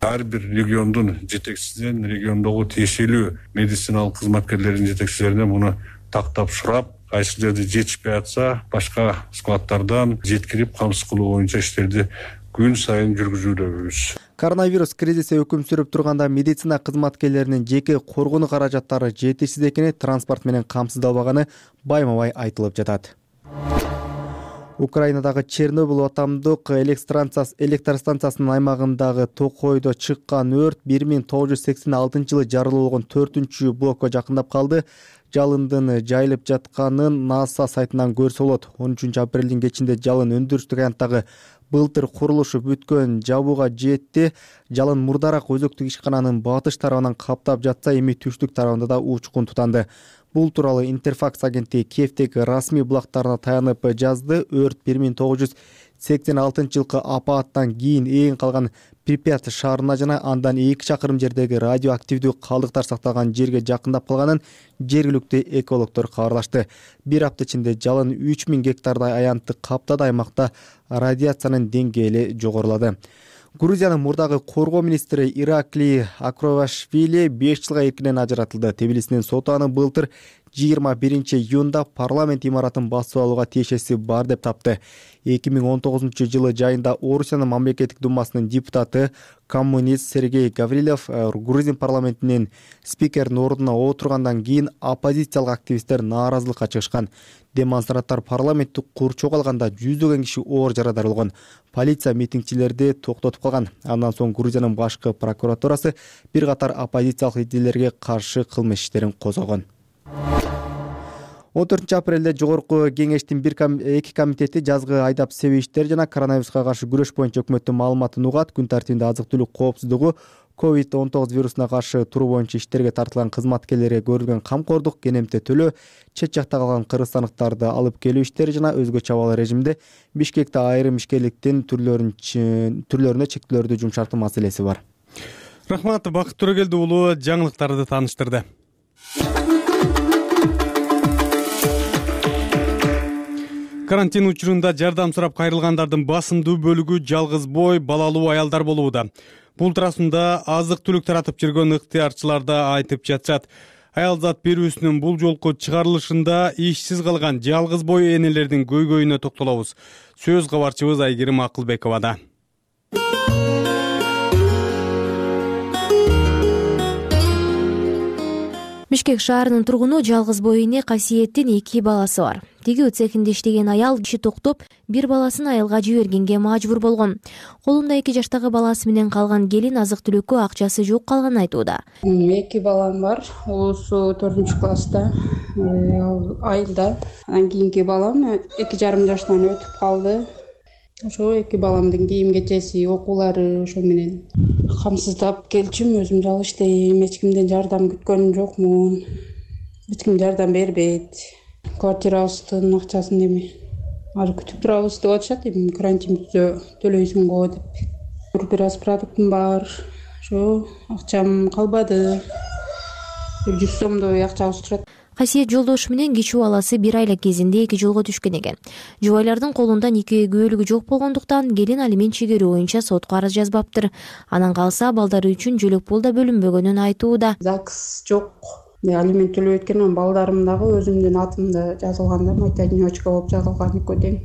Ар бир региондун жетекчисинен, региондогу тиешелүү медициналык кызматкерлердин жетекчилерине муну тактап сурап, кайсы жерде жетишпей атса, башка складтардан жеткирип камсыз кылуу боюнча иштерди күн сайын жүргүзүүдөбүз. Коронавирус кризиси өкүм сүрүп турганда медицина кызматкерлеринин жеке коргонуу каражаттары жетишсиз экени, транспорт менен камсыздалбаганы байма-бай айтылып жатат. Украинадагы Чернобыль атомдук электростанциясынын аймагындагы токойдо чыккан өрт 1986 жарылуу болгон 4-чү блокко жакындап калды. Жалындын жайылып жатканын НАСА сайтынан көрсө болот. 13 апрелдин кечинде жалын өндүрүштүк аянттагы былтыр курулушу бүткөн жабууга жетти. Жалын мурдараак өзөктүк ишкананын батыш тарабынан каптап жатса, эми түштүк тарабында да учкун тутанды. Бул тууралуу Интерфакс агенттиги Киевдеги расмий булактарына таянып жазды. Өрт 1986 жылкы апааттан кийин эң калган Припят шаарына жана андан 2 чакырым жердеги радиоактивдүү калдыктар сакталган жерге жакындап калганын жергиликтүү экологдор кабарлашты. Бир апта ичинде жалын 3000 гектардай аянтты каптады. Аймакта радиациянын деңгээли жогорулады. Грузиянын мурдагы коргоо министри Ираклий Акровашвили 5 жылга эркинен ажыратылды. Тбилисинин соту аны былтыр 21-июнда парламент имаратын басып алууга тиешеси бар деп тапты. 2019 жылы жайында Орусиянын мамлекеттик думасынын депутаты, коммунист Сергей Гаврилов Грузин парламентинин спикеринин ордуна отургандан кийин оппозициялык активисттер нааразылыкка чыгышкан. Демонстранттар парламентти курчоого алганда жүздөгөн киши оор жарадар болгон. Полиция митингчилерди токтотуп калган. Андан соң Грузиянын башкы прокуратурасы бир катар оппозициялык лидерлерге каршы кылмыш иштерин козгогон. 14 апрелде жогорку кеңештин эки комитети жазгы айдап себиштер жана коронавируска каршы күрөш боюнча өкмөттүн маалыматын угат. Күн тартибинде азык-түлүк коопсуздугу, COVID-19 вирусуна каршы туруу боюнча иштерге тартылган кызматкерлерге көрүлгөн камкордук, кенемте төлөө, чет жакта калган кыргызстандыктарды алып келүү иштери жана өзгөчө абал режимде Бишкекте айрым ишкерликтин түрлөрүнө чектөөлөрдү жумшартуу маселеси бар. Рахмат, Бакыт Төрөгелди уулу жаңылыктарды тааныштырды. Карантин учурунда жардам сурап кайрылгандардын басымдуу бөлүгү жалгыз бой, балалуу аялдар болууда. Бул туурасында азык-түлүк таратып жүргөн ыктыярчылар да айтып жатышат. Аялзат берүүсүнүн бул жолку чыгарылышында ишсиз калган жалгыз бой энелердин көйгөйүнө токтолобуз. Сөз кабарчыбыз Айгерим Акылбековада. Бишкек шаарынын тургуну жалгыз бой эне Касиеттин 2 баласы бар. Тигүү цехинде иштеген аял иши токтоп, бир баласын айылга жибергенге мажбур болгон. Колунда 2 жаштагы баласы менен калган келин азык-түлүккө акчасы жок калганын айтууда. 2 балам бар. Улусу 4-класста, айылда. Анан кийинки балам 2,5 жаштан өтүп калды. Ошо 2 баламдын кийим-кечеси, окуулары ошо менен камсыздап келчүм. Өзүм жалгыз иштейм, эч кимден жардам күткөнүм жокмун. Эч ким жардам бербейт. Квартирабыздын акчасын эми ары күтүп турабыз деп атышат. Эми карантин бүтсө төлөйсүң го деп. Бир аз продуктум бар. Ошо акчам калбады. 100 сомдой акчабыз турат. Касиет жолдошу менен кичүү баласы 1 айла кезинде 2 жолго түшкөн экен. Жубайлардын колунда нике күбөлүгү жок болгондуктан келин алимент чегерүү боюнча сотко арыз жазбаптыр. Анан калса балдары үчүн жөлөк пул да бөлүнбөгөнүн айтууда. ЗАГС жок. Алимент төлөп өткөн балдарым дагы өзүмдүн атымда жазылган да, мать одиночка болуп жазылган экөө тең.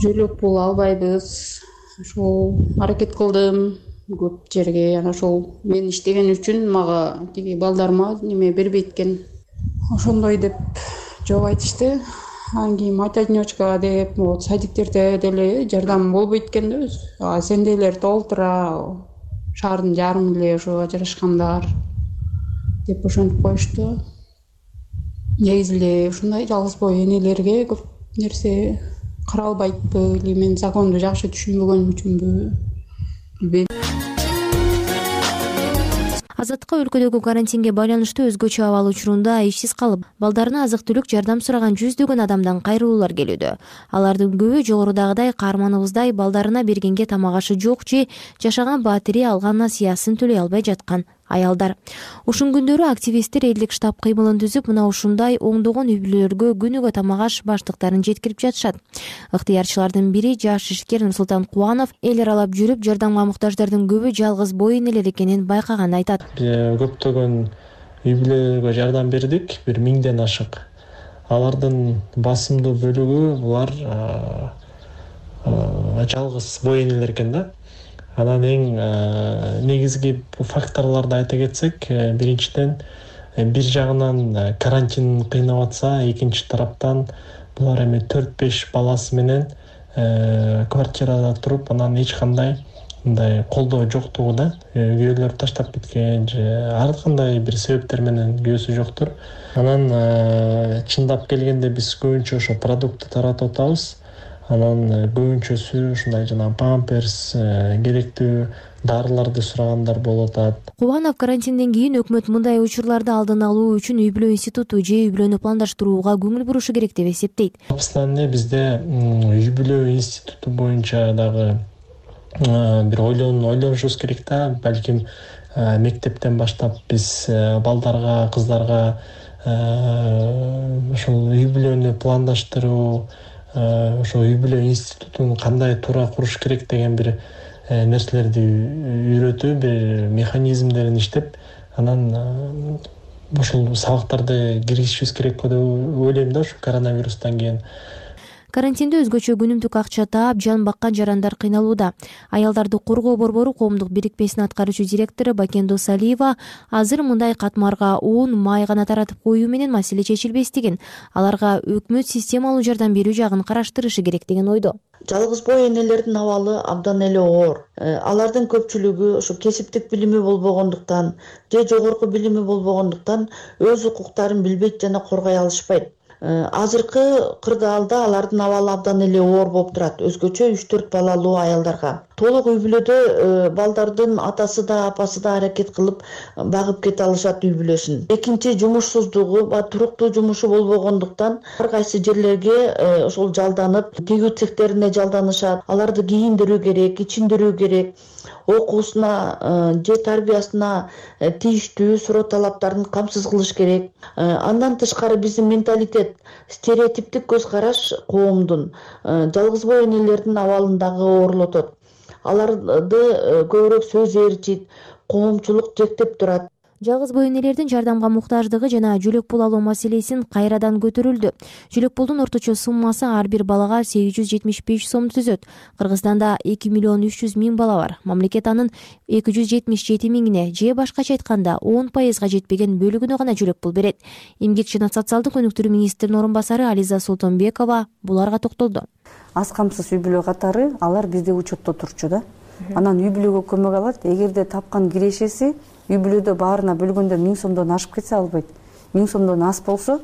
Жөлөк пул албайбыз. Ошол аракет кылдым көп жерге. Анан ошол мен иштеген үчүн мага тиги балдарыма неме бербейт экен. Ошондой деп жооп айтышты. Анан кийин мать одиночка деп, садиктерде деле жардам болбойт экен да өзү. Сендейлер толтура, шаардын жарымы эле ошо ажырашкандар деп ошентип коюшту. Негизи эле ушундай жалгыз бой энелерге көп нерсе каралбайтпы или мен законду жакшы түшүнбөгөнүм үчүнбү билбейм. Азаттыкка өлкөдөгү карантинге байланыштуу өзгөчө абал учурунда ишсиз калып, балдарына азык-түлүк жардам сураган жүздөгөн адамдан кайрылуулар келүүдө. Алардын көбү жогорудагыдай каарманыбыздай балдарына бергенге тамак ашы жок же жашаган баатири алган насыясын төлөй албай жаткан аялдар. Ушун күндөрү активисттер элдик штаб кыймылын түзүп, мына ушундай оңдогон үй бүлөлөргө күнүгө тамак аш баштыктарын жеткирип жатышат. Ыктыярчылардын бири жаш ишкер Нурсултан Кубанов эл аралап жүрүп, жардамга муктаждардын көбү жалгыз бой энелер экенин байкаганын айтат. Көптөгөн үй бүлөлөргө жардам бердик, 1000ден ашык. Алардын басымдуу бөлүгү булар жалгыз бой энелер экен да. Анан эң негизги факторлорду айта кетсек, биринчиден бир жагынан карантин кыйнап атса, экинчи тараптан булар эми 4-5 баласы менен квартирада туруп, анан эч кандай мындай колдоо жоктугу да, күйөөлөрү таштап кеткен же ар кандай бир себептер менен күйөөсү жоктур. Анан чындап келгенде биз көбүнчө ошо продукты таратып атабыз. Анан көбүнчөсү ушундай жана памперс, керектүү дарыларды сурагандар болуп атат. Кубанов карантинден кийин өкмөт мындай учурларды алдын алуу үчүн үй бүлө институту же үй бүлөнү пландаштырууга көңүл бурушу керек деп эсептейт. Абсолютно бизде үй бүлө институту боюнча дагы бир ойлонушубуз керек да. Балким мектептен баштап биз балдарга, кыздарга ошол үй бүлөнү пландаштыруу, ошо үй бүлө институтун кандай туура куруш керек деген бир нерселерди үйрөтүү, бир механизмдерин иштеп, анан ошол сабактарды киргизишибиз керек деп ойлойм да, ушу коронавирустан кийин. Карантинде өзгөчө күнүмдүк акча таап жан баккан жарандар кыйналууда. Аялдарды коргоо борбору коомдук бирикмесинин аткаруучу директору Бакендо Салиева азыр мындай катмарга un, май гана таратып коюу менен маселе чечилбестигин, аларга өкмөт системалуу жардам берүү жагын караштырышы керек деген ойдо. Жалгыз бой энелердин абалы абдан эле оор. Алардын көпчүлүгү ошо кесиптик билими болбогондуктан же жогорку билими болбогондуктан өз укуктарын билбейт жана коргой алышпайт. Азыркы кырдаалда алардын абалы абдан эле оор болуп турат, өзгөчө 3-4 балалуу аялдарга. Толук үй бүлөдө балдардын атасы да апасы да аракет кылып багып кете алышат үй бүлөсүн. Экинчи, жумушсуздугу ба туруктуу жумушу болбогондуктан ар кайсы жерлерге ошол жалданып, тигүү цехтерине жалданышат. Аларды кийиндирүү керек, ичиндирүү керек. Окуусуна же тарбиясына тийиштүү суроо талаптарын камсыз кылыш керек. Андан тышкары биздин менталитет, стереотиптик көз караш коомдун жалгыз бой энелердин абалын дагы оорлотот. Аларды көбүрөөк сөз ээрчит, коомчулук жектеп турат. Жалгыз бой энелердин жардамга муктаждыгы жана жөлөк пул алуу маселесин кайрадан көтөрүлдү. Жөлөк пулдун орточо суммасы ар бир балага 875 сом түзөт. Кыргызстанда 2 миллион 300 миң бала бар. Мамлекет анын 277 миңине же башкача айтканда 10% жетпеген бөлүгүнө гана жөлөк пул берет. Эмгек жана социалдык өнүктүрүү министринин орун басары Ализа Султанбекова буларга токтолду. Аз камсыз үй бүлө катары алар бизде учетто турчу да. Анан үй бүлөгө көмөк алат. Эгерде тапкан кирешеси үй бүлөдө баарына бөлгөндө 1000 сомдон ашып кетсе албайт. 1000 сомдон аз болсо,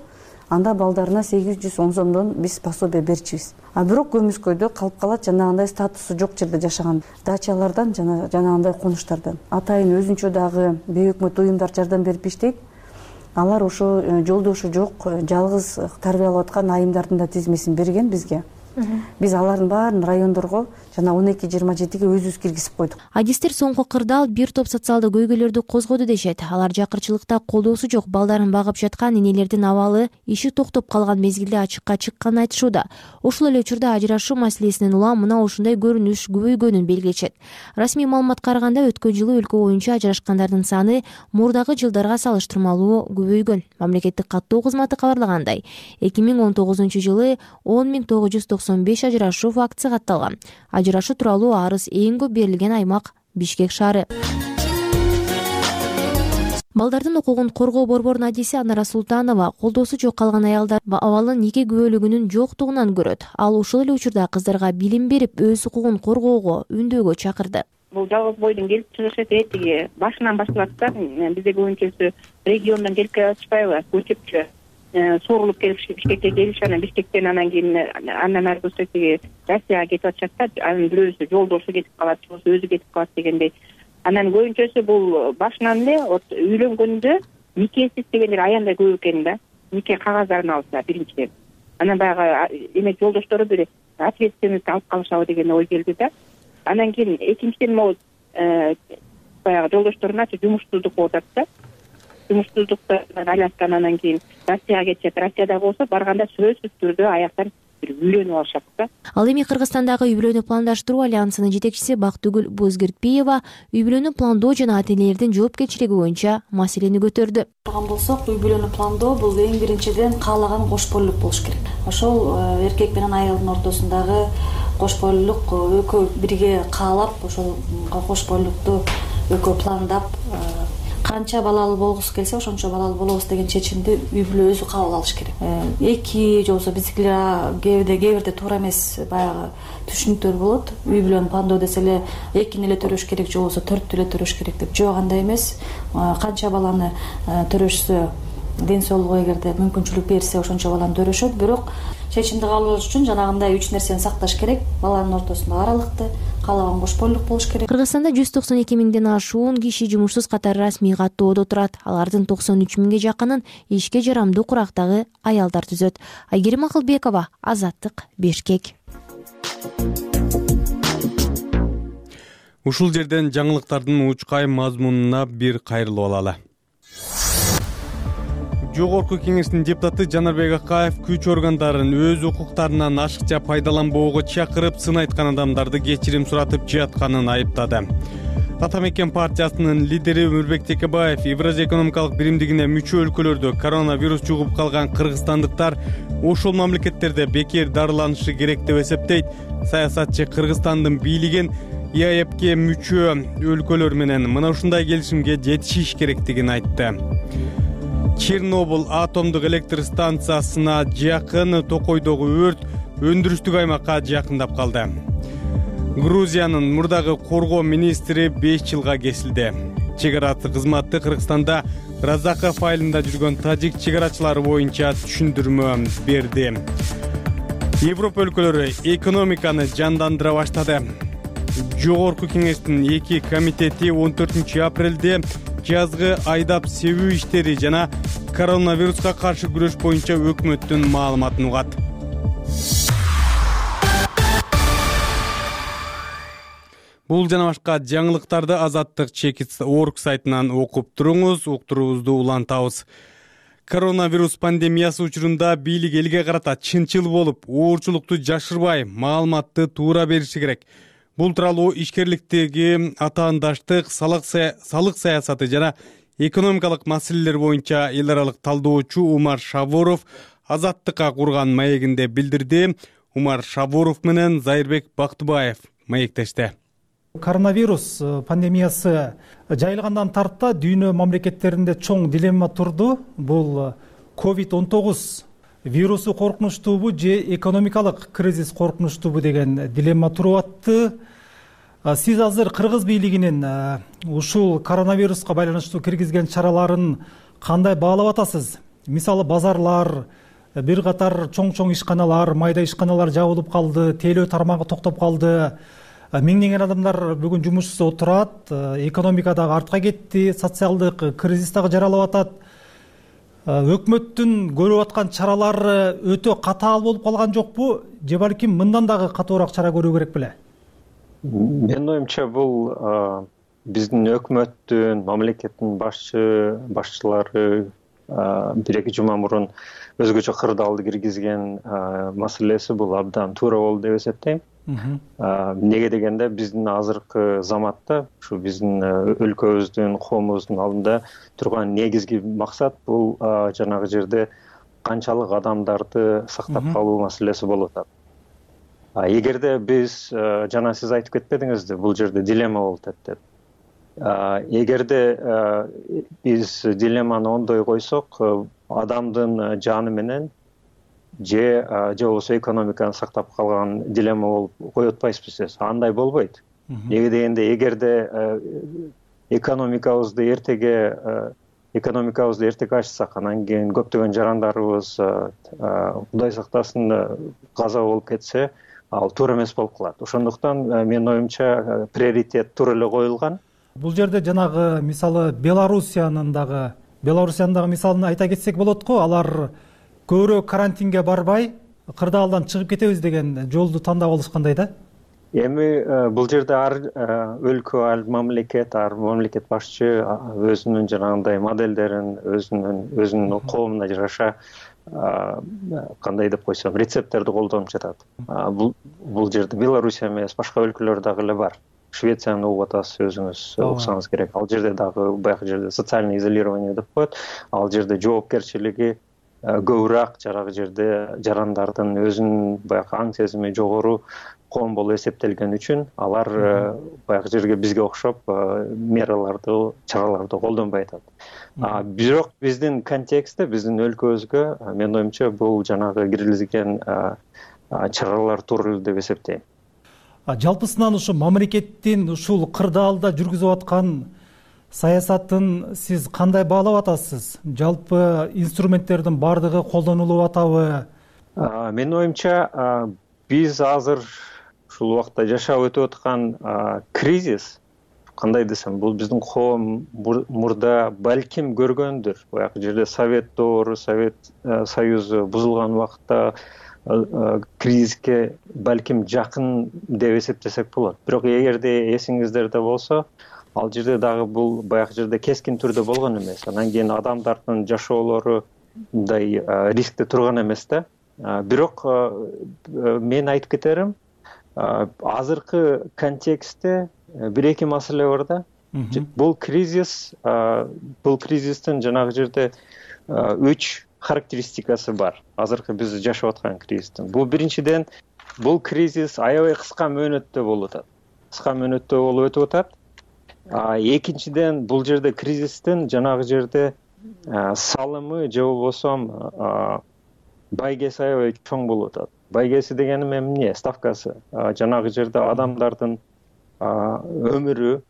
анда балдарына 810 сомдон биз пособие берчүбүз. А бирок көмүскөйдө калып калат жанагындай статусу жок жерде жашаган дачалардан жана жанагындай конуштардан. Атайын өзүнчө дагы бейөкмөт уюмдар жардам берип иштейт. Алар ошо жолдошу жок, жалгыз тарбиялап аткан айымдардын да тизмесин берген бизге. Биз алардын баарын райондорго жана 12-27ге өзүбүз киргизип койдук. Адистер соңку кырдаал бир топ социалдык көйгөйлөрдү козгоду дешет. Алар жакырчылыкта колдоосу жок балдарын багып жаткан энелердин абалы иши токтоп калган мезгилде ачыкка чыкканын айтышууда. Ошол эле учурда ажырашуу маселесинин улам мына ушундай көрүнүш көбөйгөнүн белгилечет. Расмий маалыматка караганда өткөн жылы өлкө боюнча ажырашкандардын саны мурдагы жылдарга салыштырмалуу көбөйгөн. Мамлекеттик каттоо кызматы кабарлагандай, 2019 жылы 10.995 ажырашуу фактысы катталган. Ажырашуу тууралуу арыз эң көп берилген аймак Бишкек шаары. Балдардын укугун коргоо борборунун адиси Анара Султанова колдоосу жок калган аялдар абалын нике күбөлүгүнүн жоктугунан көрөт. Ал ошол эле учурда кыздарга билим берип, өз укугун коргоого үндөөгө чакырды. Бул жалгыз бойдун келип чыгышы тиги башынан башталат да. Бизде көбүнчөсү региондон келип атышпайбы, көчөпчү. Соорулуп келип Бишкекке келишип, анан Бишкектен анан кийин андан ары тиги Россияга кетип атышат да. Анын бирөөсү жолдошу кетип калат, өзү кетип калат дегендей. Анан көбүнчөсү бул башынан эле үйлөнгөндө никесиз дегендер аябай көп экен да. Нике кагаздарын алса биринчиден. Анан баягы эме жолдоштору бир ответственность алып калышабы деген ой келди да. Анан кийин экинчиден могу баягы жолдошторуна жумушсуздук болуп атат да. Жумушсуздуктан айлаткан анан кийин Россияга кетишет. Россияда болсо барганда сөзсүз түрдө аяктан үйлөнүп алышат да. Ал эми Кыргызстандагы үй бүлөнү пландаштыруу альянсынын жетекчиси Бактыгүл Бозгиртпиева үй бүлөнү пландоо жана ата энелердин жоопкерчилиги боюнча маселени көтөрдү. Турган болсок, үй бүлөнү пландоо бул эң биринчиден каалаган кош бойлук болуш керек. Ошол эркек менен аялдын ортосундагы кош бойлук экөө бирге каалап, ошол кош бойлукту экөө пландап, канча балалуу болгусу келсе ошончо балалуу болобуз деген чечимди үй бүлө өзү кабыл алыш керек. Эки же болбосо биздикилер кээ бирде туура эмес баягы түшүнүктөр болот. Үй бүлөнү пландоо десе эле 2 эле төрөш керек же болбосо 4 эле төрөш керек деп. Жок, андай эмес. Канча баланы төрөшсө, ден соолугу эгерде мүмкүнчүлүк берсе ошончо баланы төрөшөт. Бирок чечимди кабыл алыш үчүн жанагындай 3 нерсени сакташ керек. Баланын ортосунда аралыкты, каалаган кош бойлук болуш керек. Кыргызстанда 192 миңден ашуун киши жумушсуз катары расмий каттоодо турат. Алардын 93 миңге жакынын ишке жарамдуу курактагы аялдар түзөт. Айгерим Акылбекова, Азаттык, Бишкек. Ушул жерден жаңылыктардын учкай мазмунуна бир кайрылып алалы. Жогорку кеңештин депутаты Жанарбек Акаев күч органдарын өз укуктарынан ашыкча пайдаланбоого чакырып, сын айткан адамдарды кечирим суратып жатканын айыптады. Ата мекен партиясынын лидери Өмүрбек Текебаев Евразия экономикалык биримдигине мүчө өлкөлөрдө коронавирус жугуп калган кыргызстандыктар ошол мамлекеттерде бекер дарыланышы керек деп эсептейт. Саясатчы Кыргызстандын бийлигин ИАЭПке мүчө өлкөлөр менен мына ушундай келишимге жетишиш керектигин айтты. Чернобыль атомдук электр станциясына жакын Токойдогу өрт өндүрүштүк аймакка жакындап калды. Грузиянын мурдагы коргоо министри 5 жылга кесилди. Чек ара кызматы Кыргызстанда Разаков айылында жүргөн тажик чек арачылары боюнча түшүндүрмө берди. Европа өлкөлөрү экономиканы жандандыра баштады. Жогорку кеңештин 2 комитети 14 апрелде жазгы айдап себүү иштери жана коронавируска каршы күрөш боюнча өкмөттүн маалыматын угат. Бул жана башка жаңылыктарды Азаттык Чекит.org сайтынан окуп туруңуз, уктуруубузду улантабыз. Коронавирус пандемиясы учурунда бийлик элге карата чынчыл болуп, оорчулукту жашырбай, маалыматты туура бериши керек. Бул тууралуу ишкерликтеги атаандаштык, салык саясаты жана экономикалык маселелер боюнча эл аралык талдоочу Умар Шабуров Азаттыкка курган маегинде билдирди. Умар Шабуров менен Зайырбек Бактыбаев маектешти. Коронавирус пандемиясы жайылгандан тарта дүйнө мамлекеттеринде чоң дилемма турду. Бул COVID-19 вирусу коркунучтуубу же экономикалык кризис коркунучтуубу деген дилемма туруп атты. Сиз азыр кыргыз бийлигинин ушул коронавируска байланыштуу киргизген чараларын кандай баалап атасыз? Мисалы базарлар, бир катар чоң ишканалар, майда ишканалар жабылып калды, тейлөө тармагы токтоп калды. Миңдеген адамдар бүгүн жумушсуз отурат, экономика дагы артка кетти, социалдык кризис дагы жаралып атат. Өкмөттүн көрүп аткан чаралары өтө катаал болуп калган жокпу? Же балким мындан дагы катуураак чара көрүү керек беле? Менин оюмча бул биздин өкмөттүн, мамлекеттин башчылары 1-2 жума мурун өзгөчө кырдаалды киргизген маселеси бул абдан туура болду деп эсептейм. Неге дегенде биздин азыркы заматта ушу биздин өлкөбүздүн, коомубуздун алдында турган негизги максат бул жанагы жерде канчалык адамдарды сактап калуу маселеси болуп атат. Эгерде биз жана сиз айтып кетпедиңизби, бул жерде дилемма болуп атат деп. Эгерде биз дилемманы ондой койсок, адамдын жаны менен же болбосо экономиканы сактап калган дилемма болуп кое атпайсызбы? Андай болбойт. Неге дегенде эгерде экономикабызды эртеге ачсак, анан кийин көптөгөн жарандарыбыз Кудай сактасын каза болуп кетсе, ал туура эмес болуп калат. Ошондуктан менин оюмча приоритет туура эле коюлган. Бул жерде жанагы мисалы Белоруссиянын дагы мисалын айта кетсек болот го. Алар көбүрөөк карантинге барбай, кырдаалдан чыгып кетебиз деген жолду тандап алышкандай да. Эми бул жерде ар өлкө, ар мамлекет башчы өзүнүн жанагындай моделдерин, өзүнүн коомуна жараша кандай деп койсом, рецепттерди колдонуп жатат. Бул жерде Белоруссия эмес, башка өлкөлөр дагы эле бар. Швецияны угуп атасыз, өзүңүз уксаңыз керек. Ал жерде дагы баягы жерде социальный изолирование деп коет. Ал жерде жоопкерчилиги көбүрөөк, жарагы жерде жарандардын өзүнүн баягы аң сезими жогору коом болуп эсептелген үчүн алар баягы жерге бизге окшоп чараларды колдонбой атат. Бирок биздин контекстте, биздин өлкөбүзгө менин оюмча бул жанагы киргизилген чаралар туура деп эсептейм. Жалпысынан ушу мамлекеттин ушул кырдаалда жүргүзүп аткан саясатын сиз кандай баалап атасыз? Жалпы инструменттердин бардыгы колдонулуп атабы? Менин оюмча биз азыр ушул убакта жашап өтүп аткан кризис, кандай десем, бул биздин коом мурда балким көргөндүр. Баягы жерде Совет доору, Совет Союзу бузулган убакта кризиске балким жакын деп эсептесек болот. Бирок эгерде эсиңиздерде болсо, ал жерде дагы бул баягы жерде кескин түрдө болгон эмес. Анан кийин адамдардын жашоолору мындай рискте турган эмес да. Бирок мен айтып кетерим, азыркы контекстте 1-2 маселе бар да. Бул кризистин жанагы жерде 3 характеристикасы бар. Азыркы биз жашап аткан кризистин. Бул биринчиден бул кризис аябай кыска мөөнөттө болуп атат. Кыска мөөнөттө болуп өтүп атат. Экинчиден бул жерде кризистин жанагы жерде салымы же болбосо байгеси аябай чоң болуп атат. Байгеси дегеним эмне? Ставкасы. Жанагы жерде адамдардын өмүрү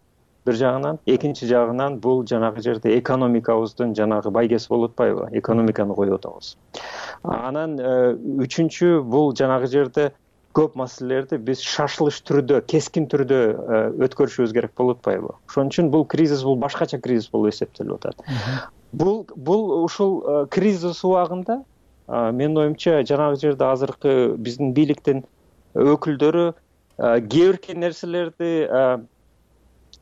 бир жагынан, экинчи жагынан бул жанагы жерде экономикабыздын жанагы байгеси болуп атпайбы? Экономиканы коюп атабыз. Анан үчүнчү бул жанагы жерде көп маселелерди биз шашылыш түрдө, кескин түрдө өткөрүшүбүз керек болуп атпайбы? Ошон үчүн бул кризис бул башкача кризис болуп эсептелип атат. Бул ушул кризис убагында менин оюмча жанагы жерде азыркы биздин бийликтин өкүлдөрү кээ бир нерселерди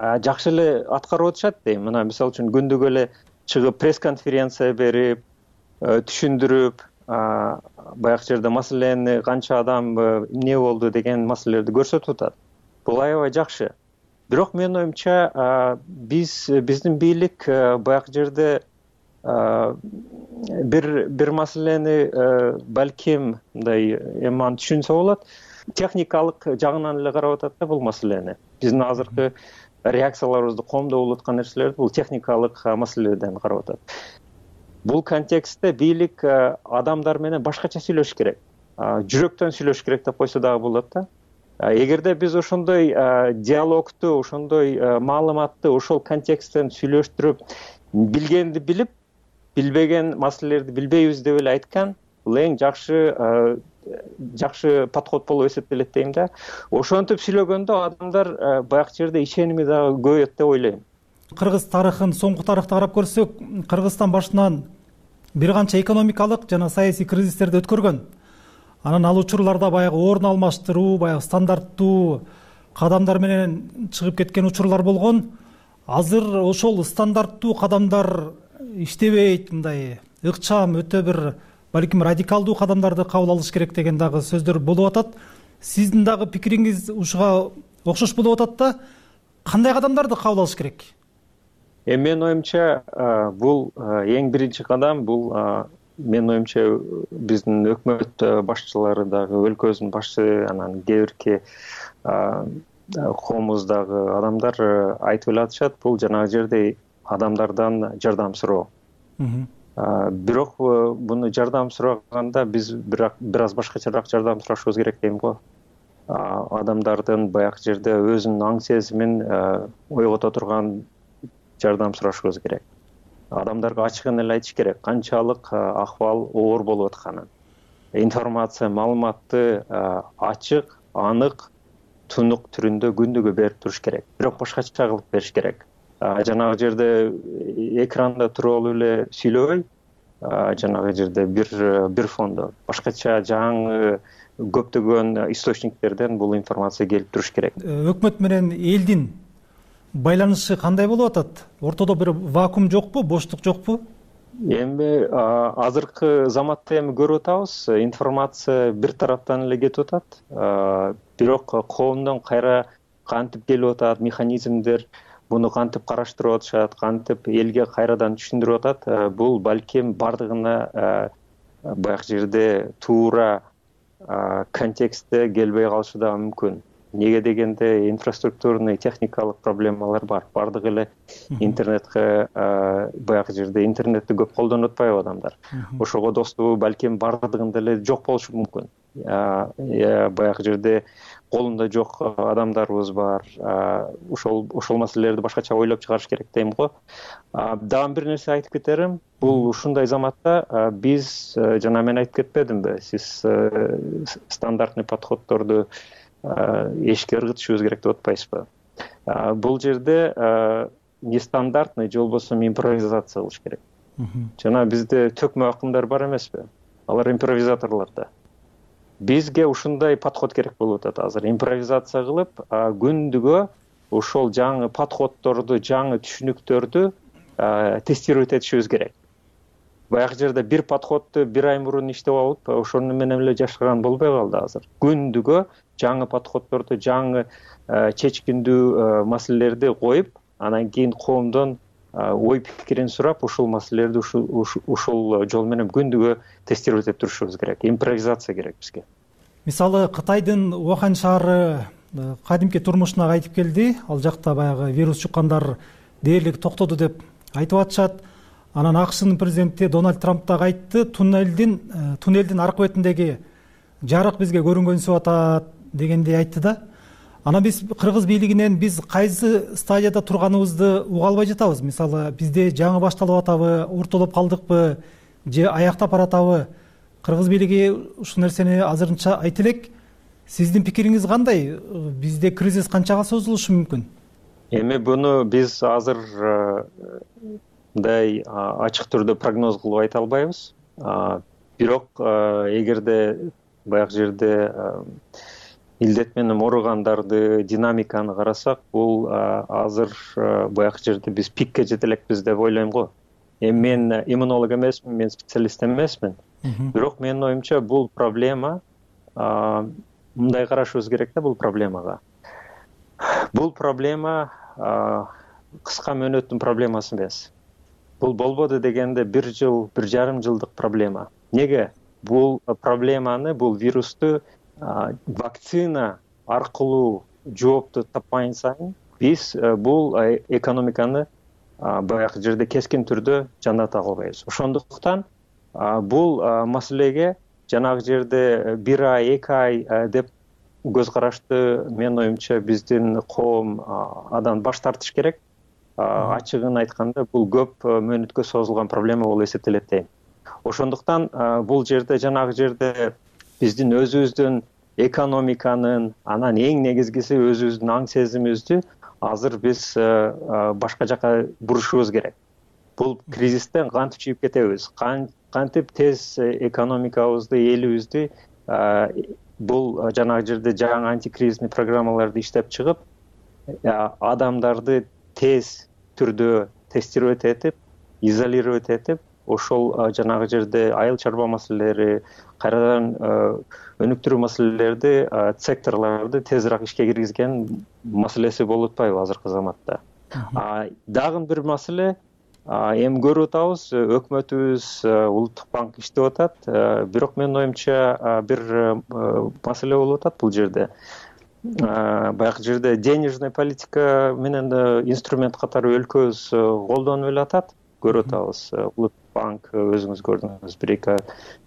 жакшы эле аткарып атышат дейм. Мына мисалы үчүн күндүк эле чыгып пресс-конференция берип, түшүндүрүп, баягы жерде маселени канча адам эмне болду деген маселелерди көрсөтүп атат. Бул аябай жакшы. Бирок менин оюмча биздин бийлик баягы жерде бир маселени балким мындай эми аны түшүнсө болот, техникалык жагынан эле карап атат да бул маселени. Биздин азыркы реакцияларыбызды коомдоп болуп аткан нерселерди бул техникалык маселеден карап атат. Бул контекстте бийлик адамдар менен башкача сүйлөшүш керек. Жүрөктөн сүйлөшүш керек деп койсо дагы болот да. Эгерде биз ошондой диалогту, ошондой маалыматты ошол контексттен сүйлөштүрүп, билгенди билип, билбеген маселелерди билбейбиз деп эле айткан, бул эң жакшы подход болуп эсептелет дейм да. Ошентип сүйлөгөндө адамдар баягы жерде ишеними дагы көбөйөт деп ойлойм. Кыргыз тарыхын, соңку тарыхты карап көрсөк, Кыргызстан башынан бир канча экономикалык жана саясий кризистерди өткөргөн. Анан ал учурларда баягы орун алмаштыруу, баягы стандарттуу кадамдар менен чыгып кеткен учурлар болгон. Азыр ошол стандарттуу кадамдар иштебейт, мындай ыкчам, өтө бир балким радикалдуу кадамдарды кабыл алыш керек деген дагы сөздөр болуп атат. Сиздин дагы пикириңиз ушуга окшош болуп атат да. Кандай кадамдарды кабыл алыш керек? Менин оюмча бул эң биринчи кадам, бул менин оюмча биздин өкмөт башчылары дагы, өлкөбүздүн башчы, анан кээ бирки коомубуздагы адамдар айтып эле атышат, бул жанагы жерде адамдардан жардам суроо. Бирок буну жардам сураганда биз бир аз башкачараак жардам сурашыбыз керек дейм го. Адамдардын баягы жерде өзүнүн аң сезимин ойгото турган жардам сурашыбыз керек. Адамдарга ачыгын эле айтыш керек, канчалык акыбал оор болуп атканын. Информация, маалыматты ачык, анык, тунук түрүндө күндүгү берип туруш керек. Бирок башкача кылып бериш керек. Жанагы жерде экранда туруп алып эле сүйлөбөй, жанагы жерде бир фондо башкача жаңы көптөгөн источниктерден бул информация келип туруш керек. Өкмөт менен элдин байланышы кандай болуп атат? Ортодо бир вакуум жокпу, боштук жокпу? Эми азыркы заматта эми көрүп атабыз, информация бир тараптан эле кетип атат. Бирок коомдон кайра кантип келип атат, механизмдер буну кантип караштырып атышат, кантип элге кайрадан түшүндүрүп атат, бул балким бардыгына баягы жерде туура контекстте келбей калышы да мүмкүн. Неге дегенде инфраструктурный техникалык проблемалар бар. Бардыгы эле интернетке баягы жерде интернетти көп колдонуп атпайбы адамдар. Ошого достугу балким бардыгында эле жок болушу мүмкүн. Баягы жерде колунда жок адамдарыбыз бар. Ошол маселелерди башкача ойлоп чыгарыш керек дейм го. Дагы бир нерсе айтып кетерим. Бул ушундай заматта биз жана мен айтып кетпедимби? Сиз стандартный подходдорду эшикке ыргытышыбыз керек деп атпайсызбы? Бул жерде нестандартный же болбосо импровизация кылыш керек. Жана бизде төкмө акымдар бар эмеспи? Алар импровизаторлор да. Бизге ушундай подход керек болуп атат. Азыр импровизация кылып, күндүгө ошол жаңы подходдорду, жаңы түшүнүктөрдү тестировать этишибиз керек. Баягы жерде бир подходду бир ай мурун иштеп алып, ошону менен эле жашаган болбой калды азыр. Күндүгө жаңы подходдорду, жаңы чечкиндүү маселелерди коюп, анан кийин коомдон ой пикирин сурап ушул маселелерди ушул жол менен күндүгө тестировать этип турушубуз керек. Импровизация керек бизге. Мисалы Кытайдын Ухань шаары кадимки турмушуна кайтып келди. Ал жакта баягы вирус жуккандар дээрлик токтоду деп айтып атышат. Анан АКШнын президенти Дональд Трамп да кайтты. Туннелдин аркы бетиндеги жарык бизге көрүнгөнсүп атат дегендей айтты да. Анан биз кыргыз бийлигинен биз кайсы стадияда турганыбызды уга албай жатабыз. Мисалы бизде жаңы башталып атабы, ортолоп калдыкпы, же аяктап баратабы? Кыргыз бийлиги ушул нерсени азырынча айтып элек. Сиздин пикириңиз кандай? Бизде кризис канчага созулушу мүмкүн? Эми буну биз азыр мындай ачык түрдө прогноз кылып айта албайбыз. Бирок эгерде баягы жерде илдет менен ооругандарды динамиканы карасак, бул азыр баягы жерде биз пикке жете элекпиз деп ойлойм го. Эми мен иммунолог эмесмин, мен специалист эмесмин. Бирок менин оюмча бул проблема мындай карашыбыз керек да бул проблемага. Бул проблема кыска мөөнөттүн проблемасы эмес. Бул болбоду дегенде 1 жыл, 1,5 жылдык проблема. Неге? Бул проблеманы, бул вирусту вакцина аркылуу жоопту таппайын сайын биз бул экономиканы баягы жерде кескин түрдө жандата албайбыз. Ошондуктан бул маселеге жанагы жерде 1 ай, 2 ай деп көз карашты менин оюмча биздин коом адан баш тартыш керек. Ачыгын айтканда бул көп мөөнөткө созулган проблема болуп эсептелет дейм. Ошондуктан бул жерде жанагы жерде биздин өзүбүздүн экономиканын, анан эң негизгиси өзүбүздүн аң сезимибизди азыр биз башка жака бурушубуз керек. Бул кризистен кантип чыгып кетебиз? Кантип тез экономикабызды, элибизди бул жанагы жерде жаңы антикризисный программаларды иштеп чыгып, адамдарды тез түрдө тестировать этип, изолировать этип, ошол жанагы жерде айыл чарба маселелери, кайрадан өнүктүрүү маселелерди, секторлорду тезирээк ишке киргизген маселеси болуп атпайбы азыркы заматта. Дагы бир маселе, эми көрүп атабыз, өкмөтүбүз, Улуттук банк иштеп атат, бирок менин оюмча бир маселе болуп атат бул жерде. Баягы жерде денежный политика менен инструмент катары өлкөбүз колдонуп эле атат, көрүп атабыз. Улуттук банк өзүңүз көрдүңүз, 1-2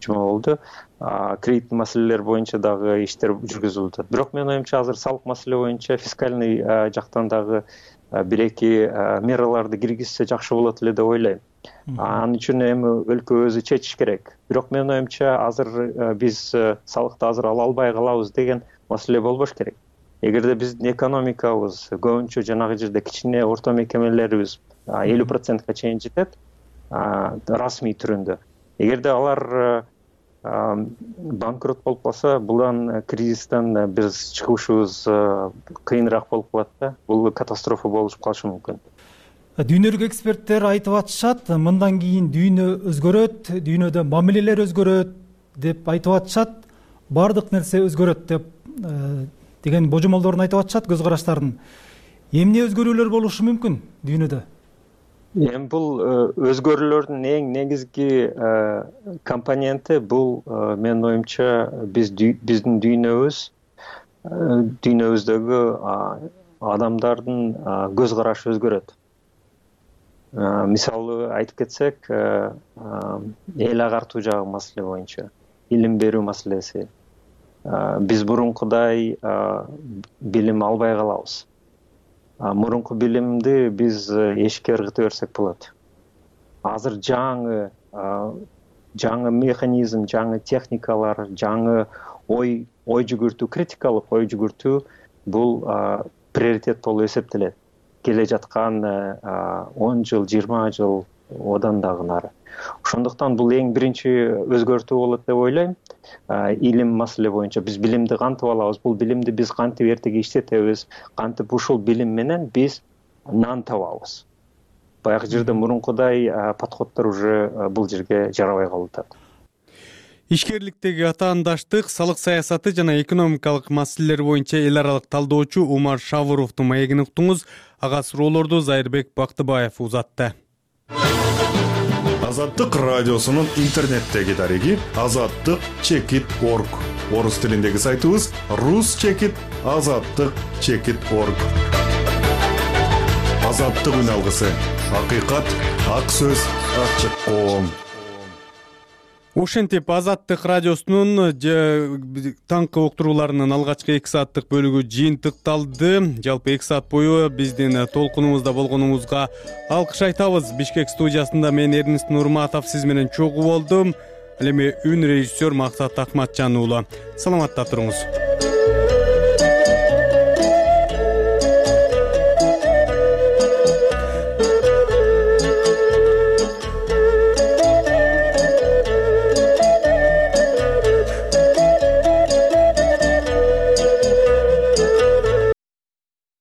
жума болду. Кредит маселелер боюнча дагы иштер жүргүзүлүп атат. Бирок менин оюмча азыр салык маселе боюнча фискальный жактан дагы 1-2 мераларды киргизсе жакшы болот эле деп ойлойм. Анын үчүн эми өлкө өзү чечиш керек. Бирок менин оюмча азыр биз салыкты азыр ала албай калабыз деген маселе болбош керек. Эгерде биздин экономикабыз көбүнчө жанагы жерде кичине орто мекемелерибиз 50%га чейин жетет, расмий түрүндө. Эгерде алар банкрот болуп калса, булдан кризистен биз чыгышыбыз кыйыныраак болуп калат да. Бул катастрофа болуп калышы мүмкүн. Дүйнөлүк эксперттер айтып атышат, мындан кийин дүйнө өзгөрөт, дүйнөдө мамилелер өзгөрөт деп айтып атышат, бардык нерсе өзгөрөт деп деген божомолдорун айтып атышат, көз караштарын. Эмне өзгөрүүлөр болушу мүмкүн дүйнөдө? Эми бул өзгөрүүлөрдүн эң негизги компоненти бул менин оюмча биздин дүйнөбүздөгү адамдардын көз карашы өзгөрөт. Мисалы айтып кетсек, эл агартуу жагы маселе боюнча, илим берүү маселеси. Биз мурункудай билим албай калабыз. Мурунку билимди биз эшикке ыргыта берсек болот. Азыр жаңы механизм, жаңы техникалар, жаңы ой жүгүртүү, критикалык ой жүгүртүү бул приоритет болуп эсептелет. Келе жаткан 10 жыл, 20 жыл одан дагы нары. Ошондуктан бул эң биринчи өзгөртүү болот деп ойлойм. Илим маселе боюнча биз билимди кантип алабыз? Бул билимди биз кантип эртеге иштетебиз? Кантип ушул билим менен биз нан табабыз? Баягы жерде мурункудай подходдор уже бул жерге жарабай калып атат. Ишкерликтеги атаандаштык, салык саясаты жана экономикалык маселелер боюнча эл аралык талдоочу Умар Шавуровдун маегин уктуңуз. Ага суроолорду Зайырбек Бактыбаев узатты. Азаттык радиосунун интернеттеги дареги azattyk.org. Орус тилиндеги сайтыбыз rus-azattyk.org. Азаттык үн алгысы. Акыйкат, ак сөз, ачык коом. Ошентип Азаттык радиосунун таңкы уктурууларынын алгачкы 2 сааттык бөлүгү жыйынтыкталды. Жалпы 2 саат бою биздин толкунубузда болгонуңузга алкыш айтабыз. Бишкек студиясында мен Эрнест Нурматов сиз менен чогуу болдум. Ал эми үн режиссер Максат Акматжан уулу. Саламатта туруңуз.